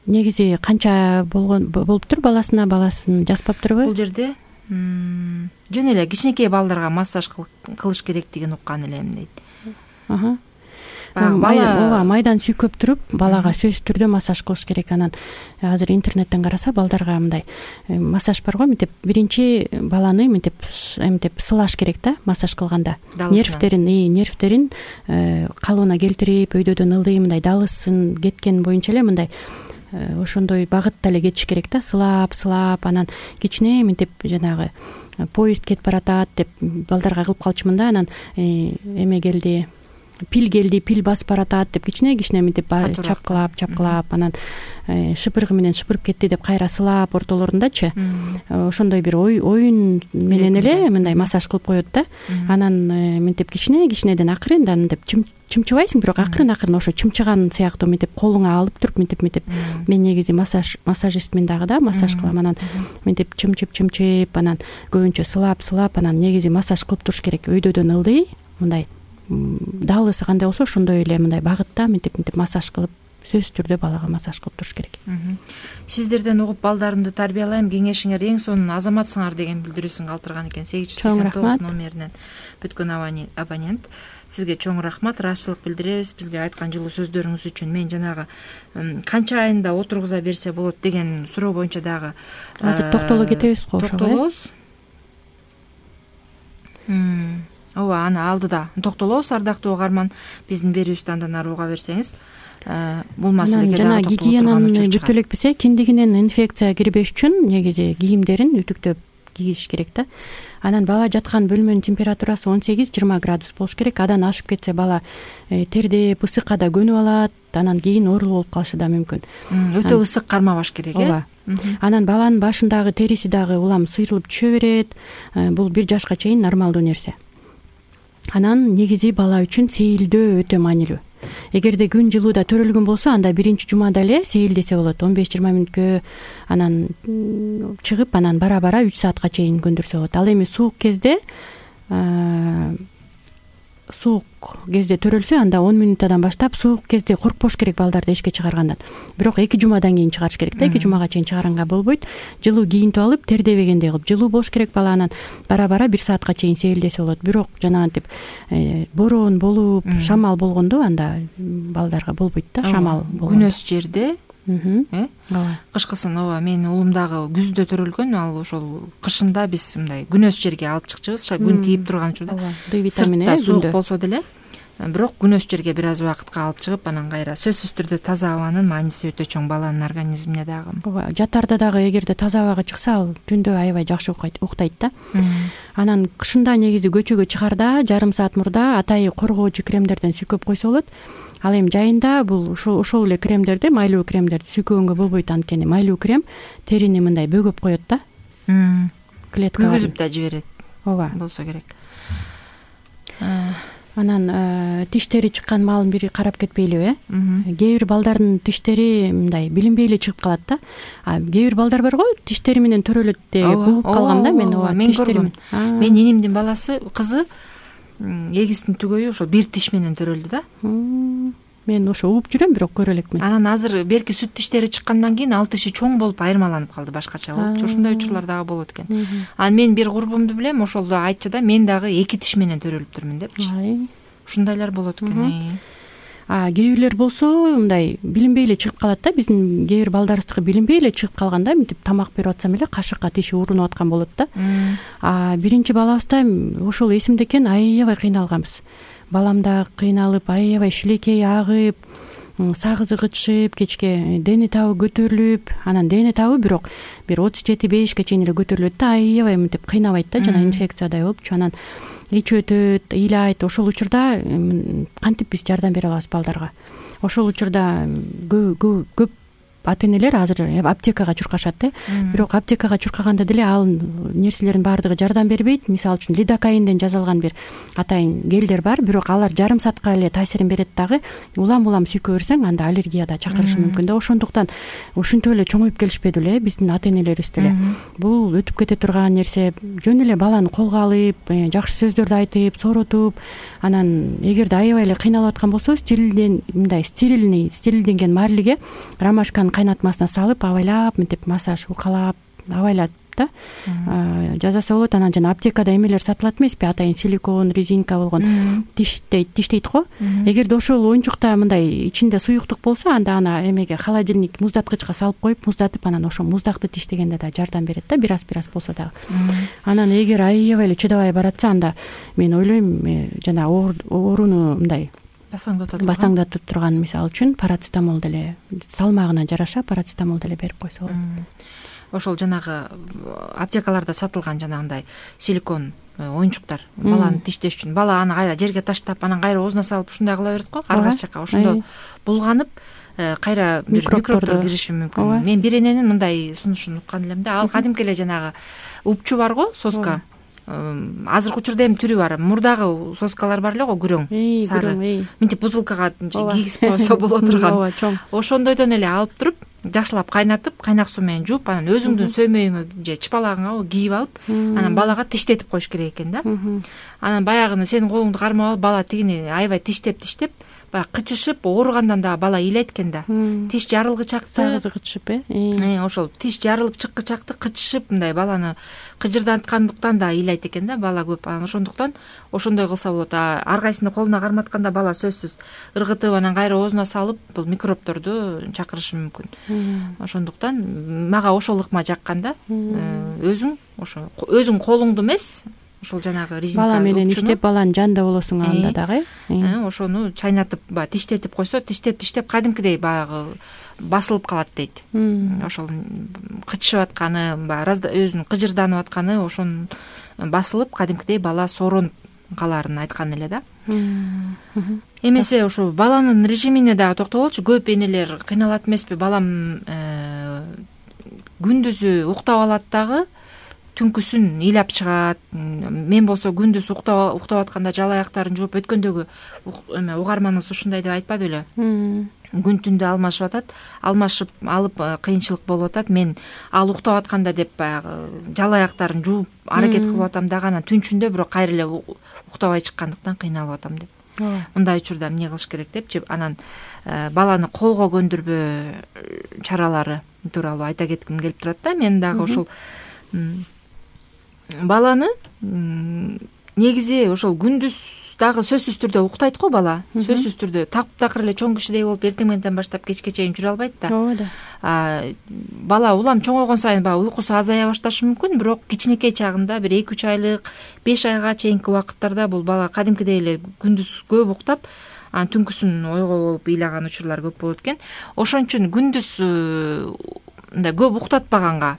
Негизи канча болгон болуптур баласына, баласын жазбаптырбы? Бул жерде жөн эле кичинекей балдарга массаж кылыш керектигин уккан элем дейт. Аха. Ооба, майдан сүйкөп туруп, балага сөзсүз түрдө массаж кылыш керек. Анан азыр интернеттен караса балдарга мындай массаж бар го, мынтип биринчи баланы мынтип эмтип сылаш керек да, массаж кылганда. Нервтерин, нервтерин калыбына келтирип, өйдөдөн ылдый мындай далысын кеткен боюнча эле мындай ошондой багытта эле кетиш керек да, сылап, сылап, анан кичине мынтип жанагы поезд кетип баратат деп балдарга кылып калчумун да. Анан эме келди, пил келди, пил басып баратат деп кичине-кичине мынтип чапкылап, чапкылап, анан шыпыргы менен шыпырып кетти деп кайра сылап ортолорундачы. Ошондой бир оюн менен эле мындай массаж кылып коет да. Анан мынтип кичине-кичинеден акырындан мынтип чымчыбайсың, бирок акырын акырын ошо чымчыган сыяктуу мынтип колуңа алып туруп мынтип мынтип мен негизи массаж массажистмин дагы да, массаж кылам. Анан мынтип чымчып чымчып анан көбүнчө сылап сылап анан негизи массаж кылып туруш керек. Өйдөдөн ылдый мындай даалысы кандай болсо ошондой эле мындай багытта мынтип мынтип массаж кылып сөзсүз түрдө балага массаж кылып туруш керек. Сиздерден угуп балдарымды тарбиялайм, кеңешиңер эң сонун азаматсыңар деген билдирүүсүн калтырган экен сегиз жүз сексен тогуз номеринен бүткөн абонент. Сизге чоң рахмат, ыраазычылык билдиребиз бизге айткан жылуу сөздөрүңүз үчүн. Мен жанагы канча айында отургуза берсе болот деген суроо боюнча дагы азыр токтоло кетебиз го. Токтолобуз. Ооба, аны алдыда токтолобуз. Ардактуу угарман, биздин берүүбүздү андан ары уга берсеңиз, бул маселеге жана гигиенаны бүтө элекпиз. Киндигинен инфекция кирбеш үчүн негизи кийимдерин үтүктөп кийиш керек да. Анан бала жаткан бөлмөнүн температурасы он сегиз жыйырма градус болуш керек. Адан ашып кетсе бала тердеп, ысыкка да көнүп алат, анан кийин оорулуу болуп калышы да мүмкүн. Өтө ысык кармабаш керек, э? Ооба. Анан баланын башындагы териси дагы улам сыйрылып түшө берет. Бул бир жашка чейин нормалдуу нерсе. Анан негизи бала үчүн сейилдөө өтө маанилүү. Эгерде күн жылууда төрөлгөн болсо, анда биринчи жумада эле сейилдесе болот. он беш жыйырма мүнөткө анан чыгып, анан бара бара үч саатка чейин көндүрсө болот. Ал эми суук кезде суук кезде төрөлсө, анда он мүнөттөн баштап суук кезде коркпош керек балдарды эшикке чыгаргандан. Бирок эки жумадан кийин чыгарыш керек да, эки жумага чейин чыгаранга болбойт. Жылуу кийинтип алып, тердебегендей кылып жылуу болуш керек бала, анан бара бара бир саатка чейин сейилдесе болот. Бирок жанагынтип бороон болуп, шамал болгондо анда балдарга болбойт да, шамал болгондо. Күнөс жерде, э? Кышкысын, ооба, менин уулум дагы күздө төрөлгөн, ал ошол кышында биз мындай күнөс жерге алып чыкчубуз, күн тийип турган учурда. Д витамини сыртта суук болсо деле, бирок күнөс жерге бир аз убакытка алып чыгып, анан кайра сөзсүз түрдө таза абанын мааниси өтө чоң баланын организмине дагы. Ооба, жатарда дагы эгерде таза абага чыкса, ал түндө аябай жакшы уктайт да. Анан кышында негизи көчөгө чыгарда жарым саат мурда атайы коргоочу кремдерден сүйкөп койсо болот. Ал эми жайында бул ошол эле кремдерди, майлуу кремдерди сүйкөгөнгө болбойт, анткени майлуу крем терини мындай бөгөп коет да. Клеткалар күйгүзүп да жиберет. Ооба. Болсо керек. Анан тиштери чыккан маалын бири карап кетпейлиби, э? Кээ бир балдардын тиштери мындай билинбей эле чыгып калат да. А кээ бир балдар бар го, тиштери менен төрөлөт деп угуп калгам да мен. Ооба, мен көргөм. Мен энимдин баласы, кызы эгистин түгөйү ошол бир тиш менен төрөлдү да. Мен ошо угуп жүрөм, бирок көрө элекмин. Анан азыр берки сүт тиштери чыккандан кийин ал тиши чоң болуп айырмаланып калды, башкача болуп. Ушундай учурлар дагы болот экен. Анан мен бир курбумду билем, ошол да айтчу да, мен дагы эки тиш менен төрөлүптүрмүн депчи. Ушундайлар болот экен. А кээ бирлер болсо мындай билинбей эле чыгып калат да. Биздин кээ бир балдарыбыздыкы билинбей эле чыгып калганда, мынтип тамак берип атсам эле кашыкка тиши урунуп аткан болот да. А биринчи балабызда ошол эсимде экен, аябай кыйналганбыз. Балам да кыйналып, аябай шилекей агып, сагызы кычышып, кечке дене табы көтөрүлүп, анан дене табы бирок бир отуз жети бешке чейин эле көтөрүлөт да, аябай мынтип кыйнабайт да, жана инфекциядай болупчу. Анан ич өтөт, ыйлайт. Ошол учурда кантип биз жардам бере алабыз балдарга? Ошол учурда көп ата энелер азыр аптекага чуркашат да. Бирок аптекага чуркаганда деле ал нерселердин баардыгы жардам бербейт. Мисалы үчүн лидокаинден жасалган бир атайын гелдер бар, бирок алар жарым саатка эле таасирин берет дагы. Улам-улам сүйкө берсең, анда аллергия да чакырышы мүмкүн да. Ошондуктан ушинтип эле чоңоюп келишпеди эле биздин ата энелерибиз деле. Бул өтүп кете турган нерсе. Жөн эле баланы колго алып, жакшы сөздөрдү айтып, сооротуп, анан эгерде аябай эле кыйналып аткан болсо, стерилден мындай стерильный, стерилденген марлиге ромашканын кайнатмасына салып, абайлап, мынтип массаж укалап, абайлап да жазаса болот. Анан жана аптекада эмелер сатылат эмеспи, атайын силикон, резинка болгон тиштейт, тиштейт го. Эгерде ошол оюнчукта мындай ичинде суюктук болсо, анда аны эмеге холодильник муздаткычка салып коюп, муздатып, анан ошо муздакты тиштегенде да жардам берет да, бир аз бир аз болсо дагы. Анан эгер аябай эле чыдабай баратса, анда мен ойлойм, жана ооруну мындай басаңдатып турган, мисалы үчүн парацетамол деле, салмагына жараша парацетамол деле берип койсо болот. Ошол жанагы аптекаларда сатылган жанагындай силикон оюнчуктар баланы тиштеш үчүн, бала аны кайра жерге таштап, анан кайра оозуна салып ушундай кыла берет го, аргасы жака. Ошондо булганып кайра бир микробдор кириши мүмкүн. Мен бир эненин мындай сунушун уккан элем да. Ал кадимки эле жанагы упчу бар го, соска. азыркы учурда эми түрү бар, мурдагы соскалар бар эле го, күрөң сары, мынтип бутылкага кийгизип койсо боло турган. ооба, чоң. Ошондойдон эле алып туруп, жакшылап кайнатып, кайнак суу менен жууп, анан өзүңдүн сөймөйүңө же чыпалагыңа кийип алып, анан балага тиштетип коюш керек экен да. Анан баягыны сенин колуңду кармап алып, бала тигини аябай тиштеп тиштеп баягы кычышып, ооругандан дагы бала ыйлайт экен да. Тиш жарылгычакты, сагызы кычышып, э ошол тиш жарылып чыккычакты кычышып, мындай баланы кыжырдаткандыктан да ыйлайт экен да бала көп. Анан ошондуктан ошондой кылса болот. Ар кайсыны колуна карматканда бала сөзсүз ыргытып, анан кайра оозуна салып, бул микробторду чакырышы мүмкүн. Ошондуктан мага ошол ыкма жаккан да. Өзүң ошо өзүң колуңду эмес, ошол жанагы резинка бала менен иштеп, баланын жанында болосуң анда дагы. Ошону чайнатып, баягы тиштетип койсо, тиштеп тиштеп кадимкидей баягы басылып калат дейт. Ошол кычышып атканы, баягы өзүнүн кыжырданып атканы ошонун басылып, кадимкидей бала сооронуп каларын айткан эле да. Эмесе ошо баланын режимине дагы токтололчу. Көп энелер кыйналат эмеспи? Балам күндүзү уктап алат дагы, түнкүсүн ыйлап чыгат. Мен болсо күндүз уктап уктап атканда жала аяктарын жууп, өткөндөгү эме угарманыбыз ушундай деп айтпады беле? Күн түндө алмашып атат, алмашып алып кыйынчылык болуп атат. Мен ал уктап атканда деп баягы жала аяктарын жууп аракет кылып атам дагы, анан түнчүндө бирок кайра эле уктабай чыккандыктан кыйналып атам деп. Мындай учурда эмне кылыш керек депчи, анан баланы колго көндүрбөө чаралары тууралуу айта кетким келип турат да. Мен дагы ошол баланы негизи ошол күндүз дагы сөзсүз түрдө уктайт го бала. Сөзсүз түрдө такыр эле чоң кишидей болуп эртең мененден баштап кечке чейин жүрө албайт да. Ооба да. Бала улам чоңойгон сайын баягы уйкусу азая башташы мүмкүн, бирок кичинекей чагында бир эки үч айлык, беш айга чейинки убакыттарда бул бала кадимкидей эле күндүз көп уктап, анан түнкүсүн ойго болуп ыйлаган учурлар көп болот экен. Ошон үчүн күндүз мындай көп уктатпаганга,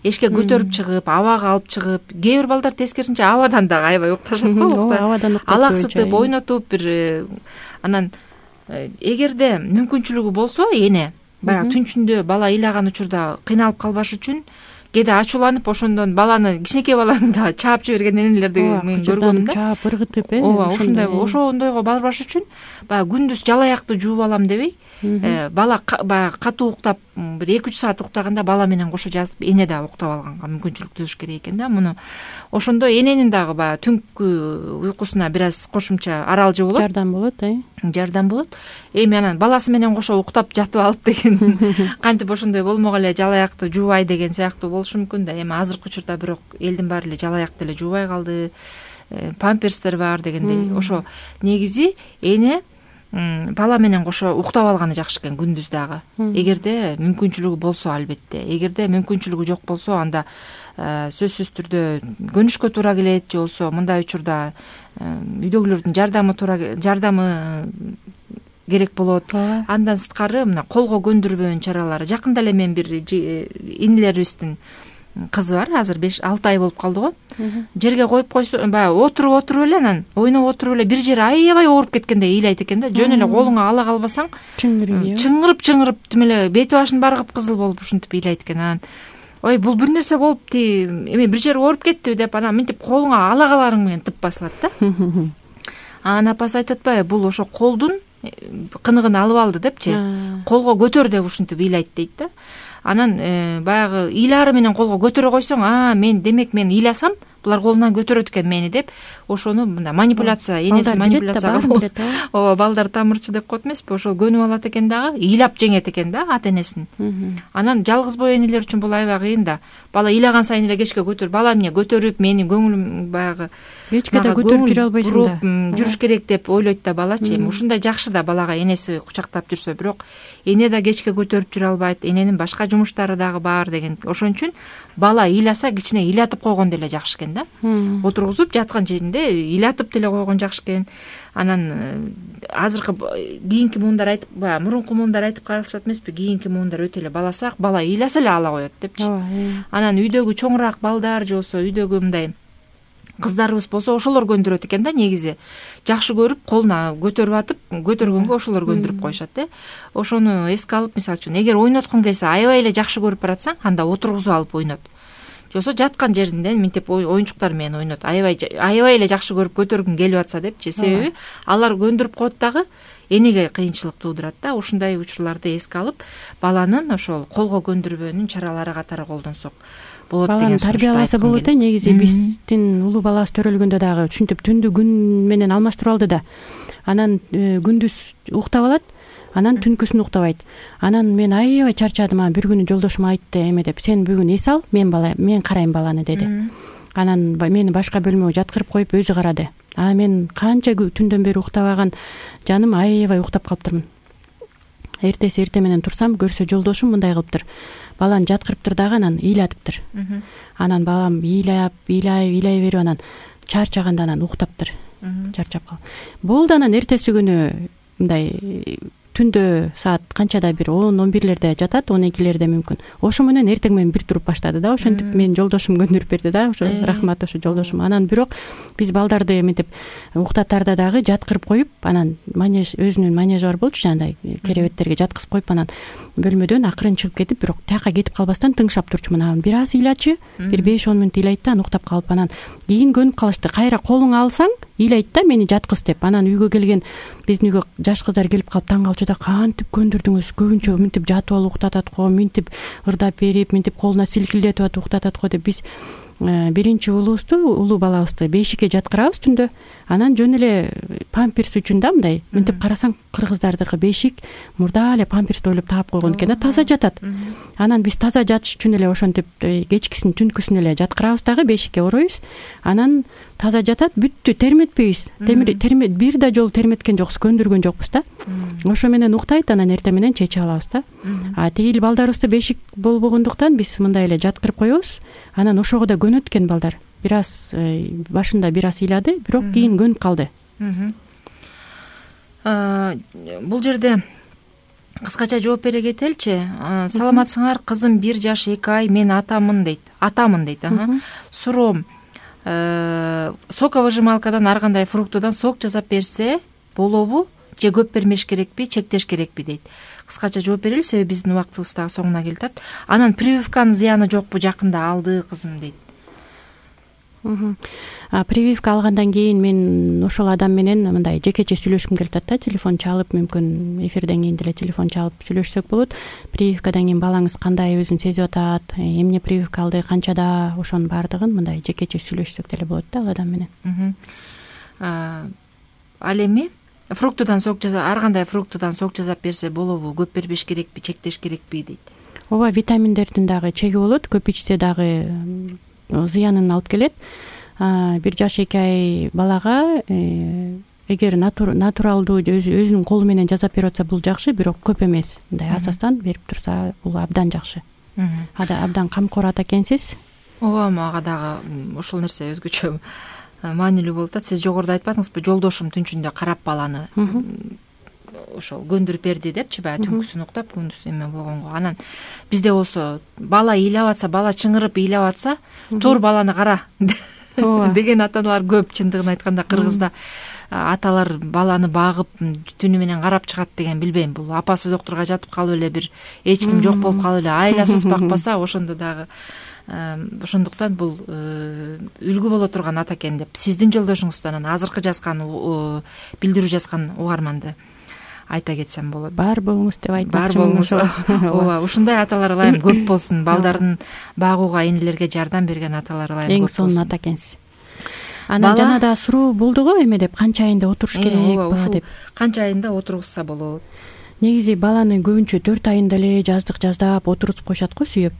эшикке көтөрүп чыгып, абага алып чыгып, кээ бир балдар тескерисинче абадан дагы аябай укташат го. Абадан уктап, алаксытып, ойнотуп бир. Анан эгерде мүмкүнчүлүгү болсо, эне баягы түнчүндө бала ыйлаган учурда кыйналып калбаш үчүн кээде ачууланып, ошондон баланы, кичинекей баланы да чаап жиберген энелерди мен көргөм да. Чаап ыргытып, э. Ооба, ошондой ошондойго барбаш үчүн баягы күндүз жала аякты жууп алам дебей, бала баягы катуу уктап, бир эки үч саат уктаганда бала менен кошо жазып, эне да уктап алганга мүмкүнчүлүк түзүш керек экен да. Муну ошондой эненин дагы баягы түнкү уйкусуна бир аз кошумча аралжы болот. Жардам болот, э. Жардам болот. Эми анан баласы менен кошо уктап жатып алып деген, кантип ошондой болмок эле жала аякты жуубай деген сыяктуу болушу мүмкүн да. Эми азыркы учурда бирок элдин баары эле жала аякты эле жуубай калды. Памперстер бар дегендей. Ошо негизи эне бала менен кошо уктап алганы жакшы экен күндүз дагы. Эгерде мүмкүнчүлүгү болсо, албетте. Эгерде мүмкүнчүлүгү жок болсо, анда сөзсүз түрдө көнүшкө туура келет, же болбосо мындай учурда үйдөгүлөрдүн жардамы туура жардамы керек болот. Андан сырткары мына колго көндүрбөөнүн чаралары. Жакында эле мен бир инилерибиздин кызы бар, азыр беш алты ай болуп калды го. Жерге коюп койсо, баягы отуруп отуруп эле, анан ойноп отуруп эле бир жери аябай ооруп кеткендей ыйлайт экен да. Жөн эле колуңа ала калбасаң, чыңырып чыңырып тим эле бети башын баары кыпкызыл болуп ушинтип ыйлайт экен. Анан ой, бул бир нерсе болуп, эми бир жери ооруп кеттиби деп, анан мынтип колуңа ала каларың менен тып басылат да. Анан апасы айтып атпайбы, бул ошо колдун кыныгын алып алды депчи, колго көтөр деп ушинтип ыйлайт дейт да. Анан баягы ыйлаары менен колго көтөрө койсоң, а мен демек мен ыйласам, булар колунан көтөрөт экен мени деп, ошону мындай манипуляция, энеси манипуляция кылып, ооба, балдар тамырчы деп коет эмеспи, ошол көнүп алат экен дагы, ыйлап жеңет экен да ата энесин. Анан жалгыз бой энелер үчүн бул аябай кыйын да. Бала ыйлаган сайын эле кечке көтөр, бала эмне көтөрүп, менин көңүлүм баягы кечке да көтөрүп жүрө албайсың да. Жүрүш керек деп ойлойт да балачы. Эми ушундай жакшы да балага энеси кучактап жүрсө, бирок эне да кечке көтөрүп жүрө албайт, эненин башка жумуштары дагы бар деген. Ошон үчүн бала ыйласа кичине ыйлатып койгон деле жакшы экен да. Отургузуп жаткан жеринде ыйлатып деле койгон жакшы экен. Анан азыркы кийинки муундар айтып, баягы мурунку муундар айтып калышат эмеспи, кийинки муундар өтө эле баласак, бала ыйласа эле ала коет депчи. Анан үйдөгү чоңураак балдар же болсо үйдөгү мындай кыздарыбыз болсо ошолор көндүрөт экен да негизи. Жакшы көрүп, колуна көтөрүп атып, көтөргөнгө ошолор көндүрүп коюшат э. Ошону эске алып, мисалы үчүн, эгер ойноткуң келсе, аябай эле жакшы көрүп баратсаң, анда отургузуп алып ойнот. же болбосо жаткан жеринден минтип оюнчуктар менен ойнойт, аябай аябай эле жакшы көрүп көтөргүм келип атса депчи. Себеби алар көндүрүп коет дагы энеге кыйынчылык туудурат да. Ушундай учурларды эске алып, баланын ошол колго көндүрбөөнүн чаралары катары колдонсок болот деген сунушту айткым тарбияласа болот. Негизи биздин улуу балабыз төрөлгөндө дагы ушинтип түндү күн менен алмаштырып алды да. Анан күндүз уктап алат, анан түнкүсүн уктабайт. Анан мен аябай чарчадым. Анан бир күнү жолдошум айтты эме деп, сен бүгүн эс ал, мен бала мен карайм баланы деди. Анан мени башка бөлмөгө жаткырып коюп өзү карады. А мен канча түндөн бери уктабаган жаным аябай уктап калыптырмын. Эртеси эрте менен турсам, көрсө жолдошум мындай кылыптыр. Баланы жаткырыптыр дагы анан ыйлатыптыр. Анан балам ыйлап, ыйлай, ыйлай берип анан чарчаганда анан уктаптыр. Чарчап калып. Болду, анан эртеси күнү мындай түндө саат канчада бир он он бирлерде жатат, он экилерде мүмкүн. Ошо менен эртең менен бир туруп баштады да. Ошентип мен жолдошум көндүрүп берди да. Ошо рахмат ошо жолдошум. Анан бирок биз балдарды эмитип уктатарда дагы жаткырып коюп, анан манеж өзүнүн манежи бар болчу, жандай керебеттерге жаткызып коюп, анан бөлмөдөн акырын чыгып кетип, бирок тияка кетип калбастан тыңшап турчумун. Анан бир аз ыйлачы, бир беш он мүнөт ыйлайт да, анан уктап калып, анан кийин көнүп калышты. Кайра колуңа алсаң ыйлайт да, мени жаткыз деп. Анан үйгө келген биздин үйгө жаш кыздар келип калып таң калчу да, кантип көндүрдүңүз? Көбүнчө минтип жатып алып уктатат го, минтип ырдап берип, минтип колуна силкилдетип атып уктатат го деп. Биз биринчи уулубузду, улуу балабызды бешикке жаткырабыз түндө. Анан жөн эле памперс үчүн да мындай минтип карасаң, кыргыздардыкы бешик мурда эле памперсти ойлоп таап койгон экен да, таза жатат. Анан биз таза жатыш үчүн эле ошентип кечкисин түнкүсүн эле жаткырабыз дагы, бешикке ороюбуз. Анан таза жатат, бүттү, терметпейбиз. Термет бир да жолу терметкен жокпуз, көндүргөн жокпуз да. Ошо менен уктайт, анан эртең менен чечип алабыз да. А тигил балдарыбызды бешик болбогондуктан биз мындай эле жаткырып коебуз. Анан ошого да көнөт экен балдар. Бир аз башында бир аз ыйлады, бирок кийин көнүп калды. Бул жерде кыскача жооп бере кетеличи. Саламатсыңар, кызым бир жаш эки ай, мен атамын дейт. Атамын дейт. Суроом, соковыжималкадан ар кандай фруктудан сок жасап берсе болобу же көп бермеш керекпи, чектеш керекпи дейт. Кыскача жооп берели, себеби биздин убактыбыз дагы соңуна келип атат. Анан прививканын зыяны жокпу, жакында алды кызым дейт. Прививка алгандан кийин мен ошол адам менен мындай жекече сүйлөшкүм келип атат да. Телефон чалып, мүмкүн эфирден кийин деле телефон чалып сүйлөшсөк болот. Прививкадан кийин балаңыз кандай өзүн сезип атат, эмне прививка алды, канчада, ошонун баардыгын мындай жекече сүйлөшсөк деле болот да ал адам менен. Ал эми фруктудан сок жасап, ар кандай фруктудан сок жасап берсе болобу, көп бербеш керекпи, чектеш керекпи дейт. Ооба, витаминдердин дагы чеги болот, көп ичсе дагы зыянын алып келет. Бир жаш эки ай балага эгер натуралдуу өзүнүн колу менен жасап берип атса бул жакшы, бирок көп эмес. Мындай асастан берип турса бул абдан жакшы. Ада абдан камкор ата экенсиз. Ооба, мага дагы ушул нерсе өзгөчө маанилүү болуп атат. Сиз жогоруда айтпадыңызбы, жолдошум түнчүндө карап баланы ошол көндүрүп берди депчи, баягы түнкүсүн уктап, күндүз эме болгонго. Анан бизде болсо бала ыйлап атса, бала чыңырып ыйлап атса, тур баланы кара деген аталар көп. Чындыгын айтканда кыргызда аталар баланы багып түнү менен карап чыгат деген, билбейм, бул апасы доктурга жатып калып эле бир эч ким жок болуп калып эле айласыз бакпаса, ошондо дагы ошондуктан бул үлгү боло турган ата экен деп сиздин жолдошуңуздан азыркы жазган билдирүү жазган угарманды айта кетсем болот. Бар болуңуз деп Бар айтмакчы. болуңуз. Ооба, ушундай аталар ылайым көп болсун. Балдарын багууга, энелерге жардам берген аталар ылайым көп болсун. Эң сонун ата экенсиз. Анан жана да суроо болду го, эме деп, канча айында отуруш керек бала деп. Канча айында отургузса болот? Негизи баланы көбүнчө төрт айында эле жаздык жаздап отургузуп коюшат го, сүйөп.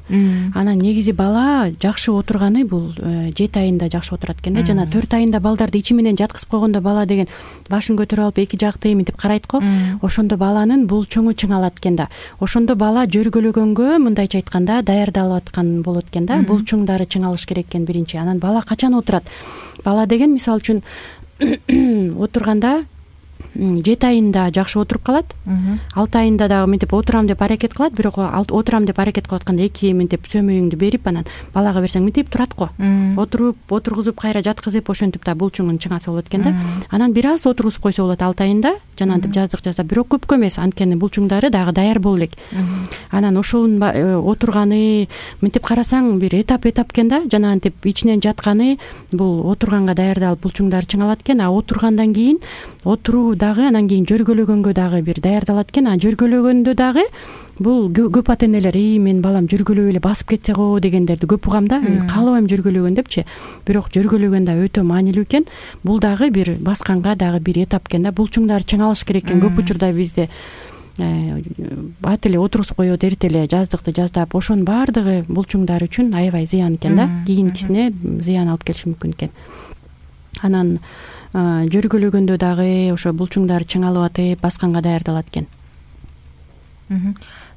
Анан негизи бала жакшы отурганы бул жети айында жакшы отурат экен да. Жана төрт айында балдарды ичи менен жаткызып койгондо бала деген башын көтөрүп алып эки жакты эмитип карайт го. Ошондо баланын булчуңу чыңалат экен да. Ошондо бала жөргөлөгөнгө, мындайча айтканда, даярдалып аткан болот экен да. Булчуңдары чыңалыш керек экен биринчи. Анан бала качан отурат? Бала деген мисалы үчүн отурганда жети айында жакшы отуруп калат, алты айында дагы мынтип отурам деп аракет кылат, бирок отурам деп аракет кылып атканда эки мынтип сөмөйүңдү берип анан балага берсең мынтип турат го. Отуруп, отургузуп, кайра жаткызып ошентип да булчуңун чыңаса болот экен да. Анан бир аз отургузуп койсо болот алты айында, жанагынтип жаздык жазда, бирок көпкө эмес, анткени булчуңдары дагы даяр боло элек. Анан ошонун отурганы мынтип карасаң бир этап этап экен да, жанагынтип ичинен жатканы бул отурганга даярдалып булчуңдары чыңалат экен, а отургандан кийин отуруу дагы анан кийин жөргөлөгөнгө дагы бир даярдалат экен. А жөргөлөгөндө дагы бул көп ата энелер ии менин балам жөргөлөп эле басып кетсе го дегендерди көп угам да. Каалабайм жөргөлөгөн депчи, бирок жөргөлөгөн да өтө маанилүү экен. Бул дагы бир басканга дагы бир этап экен да. Булчуңдар чыңалыш керек экен. Көп учурда бизде бат эле отургузуп коет, эрте эле жаздыкты жаздап, ошонун баардыгы булчуңдар үчүн аябай зыян экен да. Кийинкисине зыян алып келиши мүмкүн экен. Анан жөргөлөгөндө дагы ошо булчуңдар чыңалып атып, басканга даярдалат экен.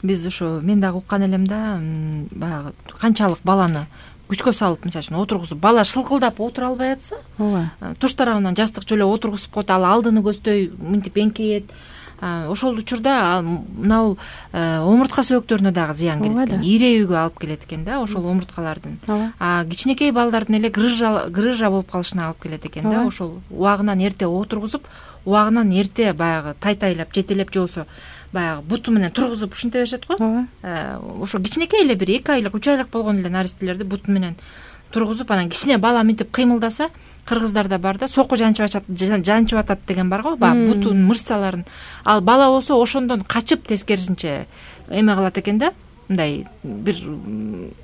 Биз ошо мен дагы уккан элем да, баягы канчалык баланы күчкө салып, мисалы үчүн отургузуп, бала шылкылдап отура албай атса, ооба, туш тарабынан жастык жөлө отургузуп коет, ал алдыны көздөй мынтип эңкейет. Ошол учурда мына бул омуртка сөөктөрүнө дагы зыян келет экен, ирээүүгө алып келет экен да, ошол омурткалардын. А кичинекей балдардын эле грыжа грыжа болуп калышына алып келет экен да, ошол убагынан эрте отургузуп, убагынан эрте баягы тайтайлап, жетелеп, же болбосо баягы буту менен тургузуп ушинте беришет го. Ошо кичинекей эле бир эки айлык, үч айлык болгон эле наристелерди буту менен тургузуп, анан кичине бала мынтип кыймылдаса, кыргыздарда бар да, соку жанчып жанчып атат деген бар го, баягы бутунун мышцаларын. Ал бала болсо ошондон качып тескерисинче эме кылат экен да, мындай бир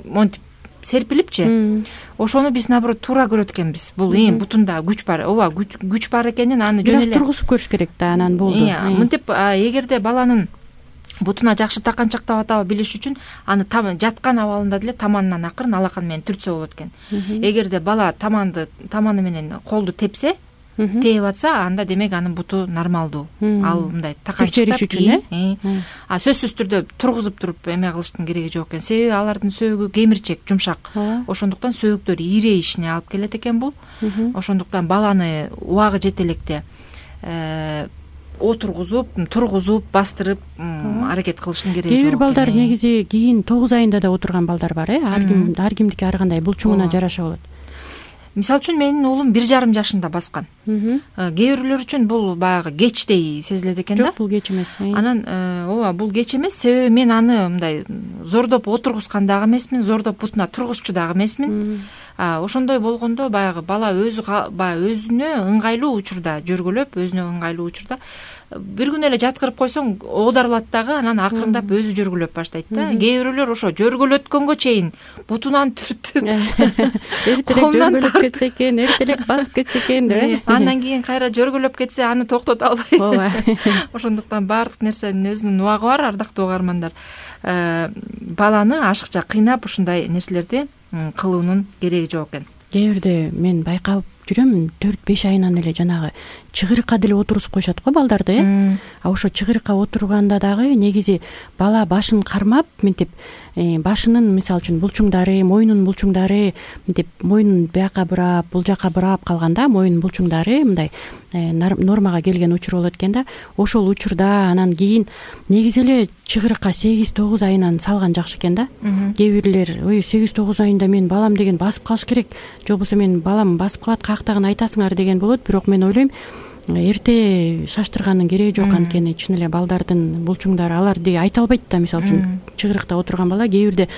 монтип серпилипчи. Ошону биз наоборот туура көрөт экенбиз. Бул эң бутунда күч бар, ооба, күч бар экенин аны жөн эле тургузуп көрүш керек да, анан болду. Мынтип эгерде баланын бутуна жакшы таканчактап атабы билиш үчүн аны жаткан абалында деле таманынан акырын алакан менен түртсө болот экен. Эгерде бала таманды таманы менен колду тепсе, тээп атса, анда демек анын буту нормалдуу. Ал мындай таканчактап кийин, а сөзсүз түрдө тургузуп туруп эме кылыштын кереги жок экен. Себеби алардын сөөгү кемирчек, жумшак. Ошондуктан сөөгдөр ирейишине алып келет экен бул. Ошондуктан баланы убагы жете электе отургузуп, тургузуп, бастырып аракет кылыштын кереги жок. Кээ бир балдар негизи кийин тогуз айында да отурган балдар бар, э? Ар ким ар кимдики ар кандай булчуңуна жараша болот. Мисалы үчүн менин уулум бир жарым жашында баскан. Кээ бирлер үчүн бул баягы кечтей сезилет экен да. Жок, бул кеч эмес. Анан ооба, бул кеч эмес, себеби мен аны мындай зордоп отургузган дагы эмесмин, зордоп бутуна тургузчу дагы эмесмин. Ошондой болгондо баягы бала өзү баягы өзүнө ыңгайлуу учурда жөргөлөп, өзүнө ыңгайлуу учурда бир күн эле жаткырып койсоң оодарылат дагы, анан акырындап өзү жөргөлөп баштайт да. Кээ бирлер ошо жөргөлөткөнгө чейин бутунан түртүп, эртерээк жөргөлөп кетсе экен, эртерээк басып кетсе экен деп. Андан кийин кайра жөргөлөп кетсе, аны токтото албайт. Ооба. Ошондуктан баардык нерсенин өзүнүн убагы бар, ардактуу угармандар. Баланы ашыкча кыйнап ушундай нерселерди кылуунун кереги жок экен. Кээ бирде мен байкап жүрөм, төрт беш айынан эле жанагы чыгырыкка деле отургузуп коюшат го балдарды, э? А ошо чыгырыкка отурганда дагы негизи бала башын кармап, мынтип башынын мисалы үчүн булчуңдары, мойнунун булчуңдары мынтип мойнун бияка бурап, бул жака бурап калганда, мойнунун булчуңдары мындай нормага келген учур болот экен да. Ошол учурда анан кийин негизи эле чыгырыкка сегиз тогуз айынан салган жакшы экен да. Кээ бирлер, ой, сегиз тогуз айында мен балам деген басып калыш керек, же болбосо мен балам басып калат, каяктагын айтасыңар деген болот. Бирок мен ойлойм, эрте шаштырганын кереги жок, анткени чын эле балдардын булчуңдары аларды айта албайт да. Мисалы үчүн чыгырыкта отурган бала кээ бирде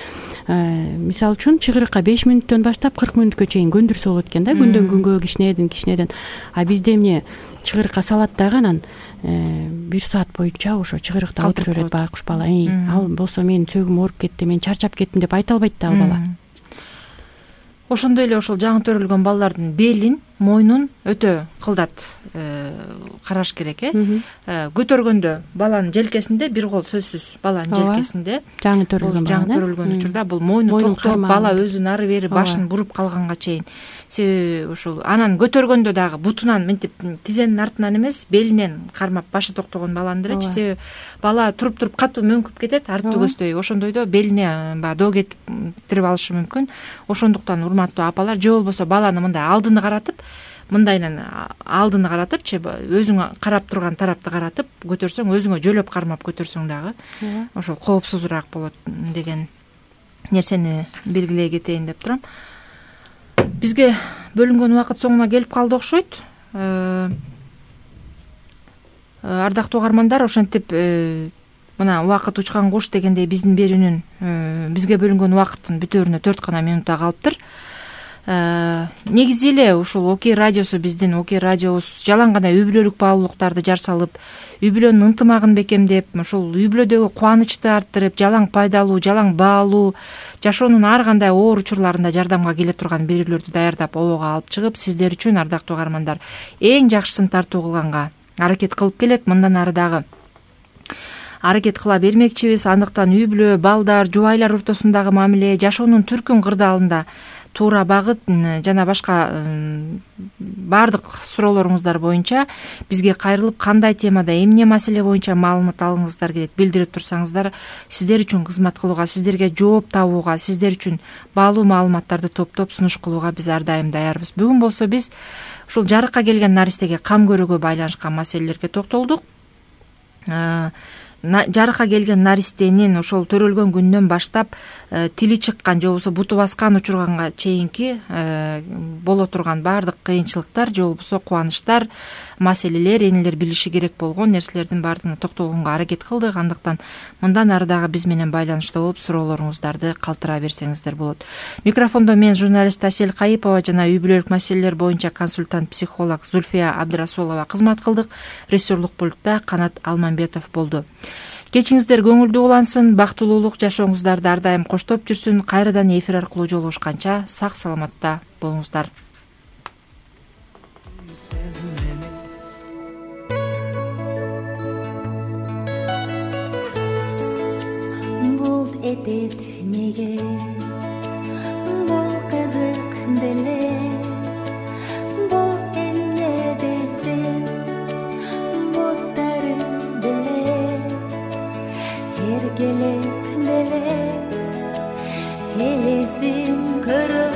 мисалы үчүн чыгырыкка беш мүнөттөн баштап кырк мүнөткө чейин көндүрсө болот экен да, күндөн күнгө, кичинеден кичинеден. А бизде эмне чыгырыкка салат дагы анан бир саат боюнча ошо чыгырыкта отура берет байкуш бала. Ал болсо менин сөөгүм ооруп кетти, мен чарчап кеттим деп айта албайт да ал бала. Ошондой эле ошол жаңы төрөлгөн балдардын белин, мойнун өтө кылдат караш керек, э? Көтөргөндө баланын желкесинде, бир кол сөзсүз баланын желкесинде, жаңы төрөлгөн жаңы төрөлгөн учурда бул мойну токтоп, бала өзүн ары бери башын буруп калганга чейин. Себеби ошол анан көтөргөндө дагы бутунан мынтип тизенин артынан эмес, белинен кармап башы токтогон баланы делечи, себеби бала туруп-туруп катуу мөңкүп кетет, арты көздөй. Ошондойдо белине баягы доо кетип алышы мүмкүн. Ошондуктан урматтуу апалар, же болбосо баланы мындай алдыны каратып, мындайынан алдыны каратыпчы, өзүң карап турган тарапты каратып көтөрсөң, өзүңө жөлөп кармап көтөрсөң дагы ошол коопсузураак болот деген нерсени белгилей кетейин деп турам. Бизге бөлүнгөн убакыт соңуна келип калды окшойт. Ардактуу угармандар, ошентип мына убакыт учкан куш дегендей биздин берүүнүн бизге бөлүнгөн убакыттын бүтөөрүнө төрт гана минутта калыптыр. Негизи эле ушул Окей радиосу, биздин Окей радиобуз жалаң гана үй бүлөлүк баалуулуктарды жар салып, үй бүлөнүн ынтымагын бекемдеп, ушул үй бүлөдөгү кубанычты арттырып, жалаң пайдалуу, жалаң баалуу, жашоонун ар кандай оор учурларында жардамга келе турган берүүлөрдү даярдап обого алып чыгып, сиздер үчүн, ардактуу угармандар, эң жакшысын тартуу кылганга аракет кылып келет. Мындан ары дагы аракет кыла бермекчибиз. Андыктан үй бүлө, балдар, жубайлар ортосундагы мамиле, жашоонун түркүн кырдаалында туура багыт жана башка баардык суроолоруңуздар боюнча бизге кайрылып, кандай темада, эмне маселе боюнча маалымат алгыңыздар келет, билдирип турсаңыздар, сиздер үчүн кызмат кылууга, сиздерге жооп табууга, сиздер үчүн баалуу маалыматтарды топтоп сунуш кылууга биз ар дайым даярбыз. Бүгүн болсо биз ушул жарыкка келген наристеге кам көрүүгө байланышкан маселелерге токтолдук. Жарыкка келген наристенин ошол төрөлгөн күндөн баштап тили чыккан же болбосо буту баскан учурганга чейинки боло турган баардык кыйынчылыктар же болбосо кубанычтар, маселелер, энелер билиши керек болгон нерселердин баардыгына токтолгонго аракет кылдык. Андыктан мындан ары дагы биз менен байланышта болуп суроолоруңуздарды калтыра берсеңиздер болот. Микрофондо мен журналист Асель Кайыпова жана үй бүлөлүк маселелер боюнча консультант психолог Зульфия Абдрасулова кызмат кылдык. Режиссерлук пультта Канат Алмамбетов болду. Кечиңиздер көңүлдүү улансын, бактылуулук жашооңуздарда ар дайым коштоп жүрсүн. Кайрадан эфир аркылуу жолугушканча сак саламатта болуңуздар. Бул этет неге, бул кызык деле, бул эмне десем, буттары деле, эркелеп деле, элесин көрө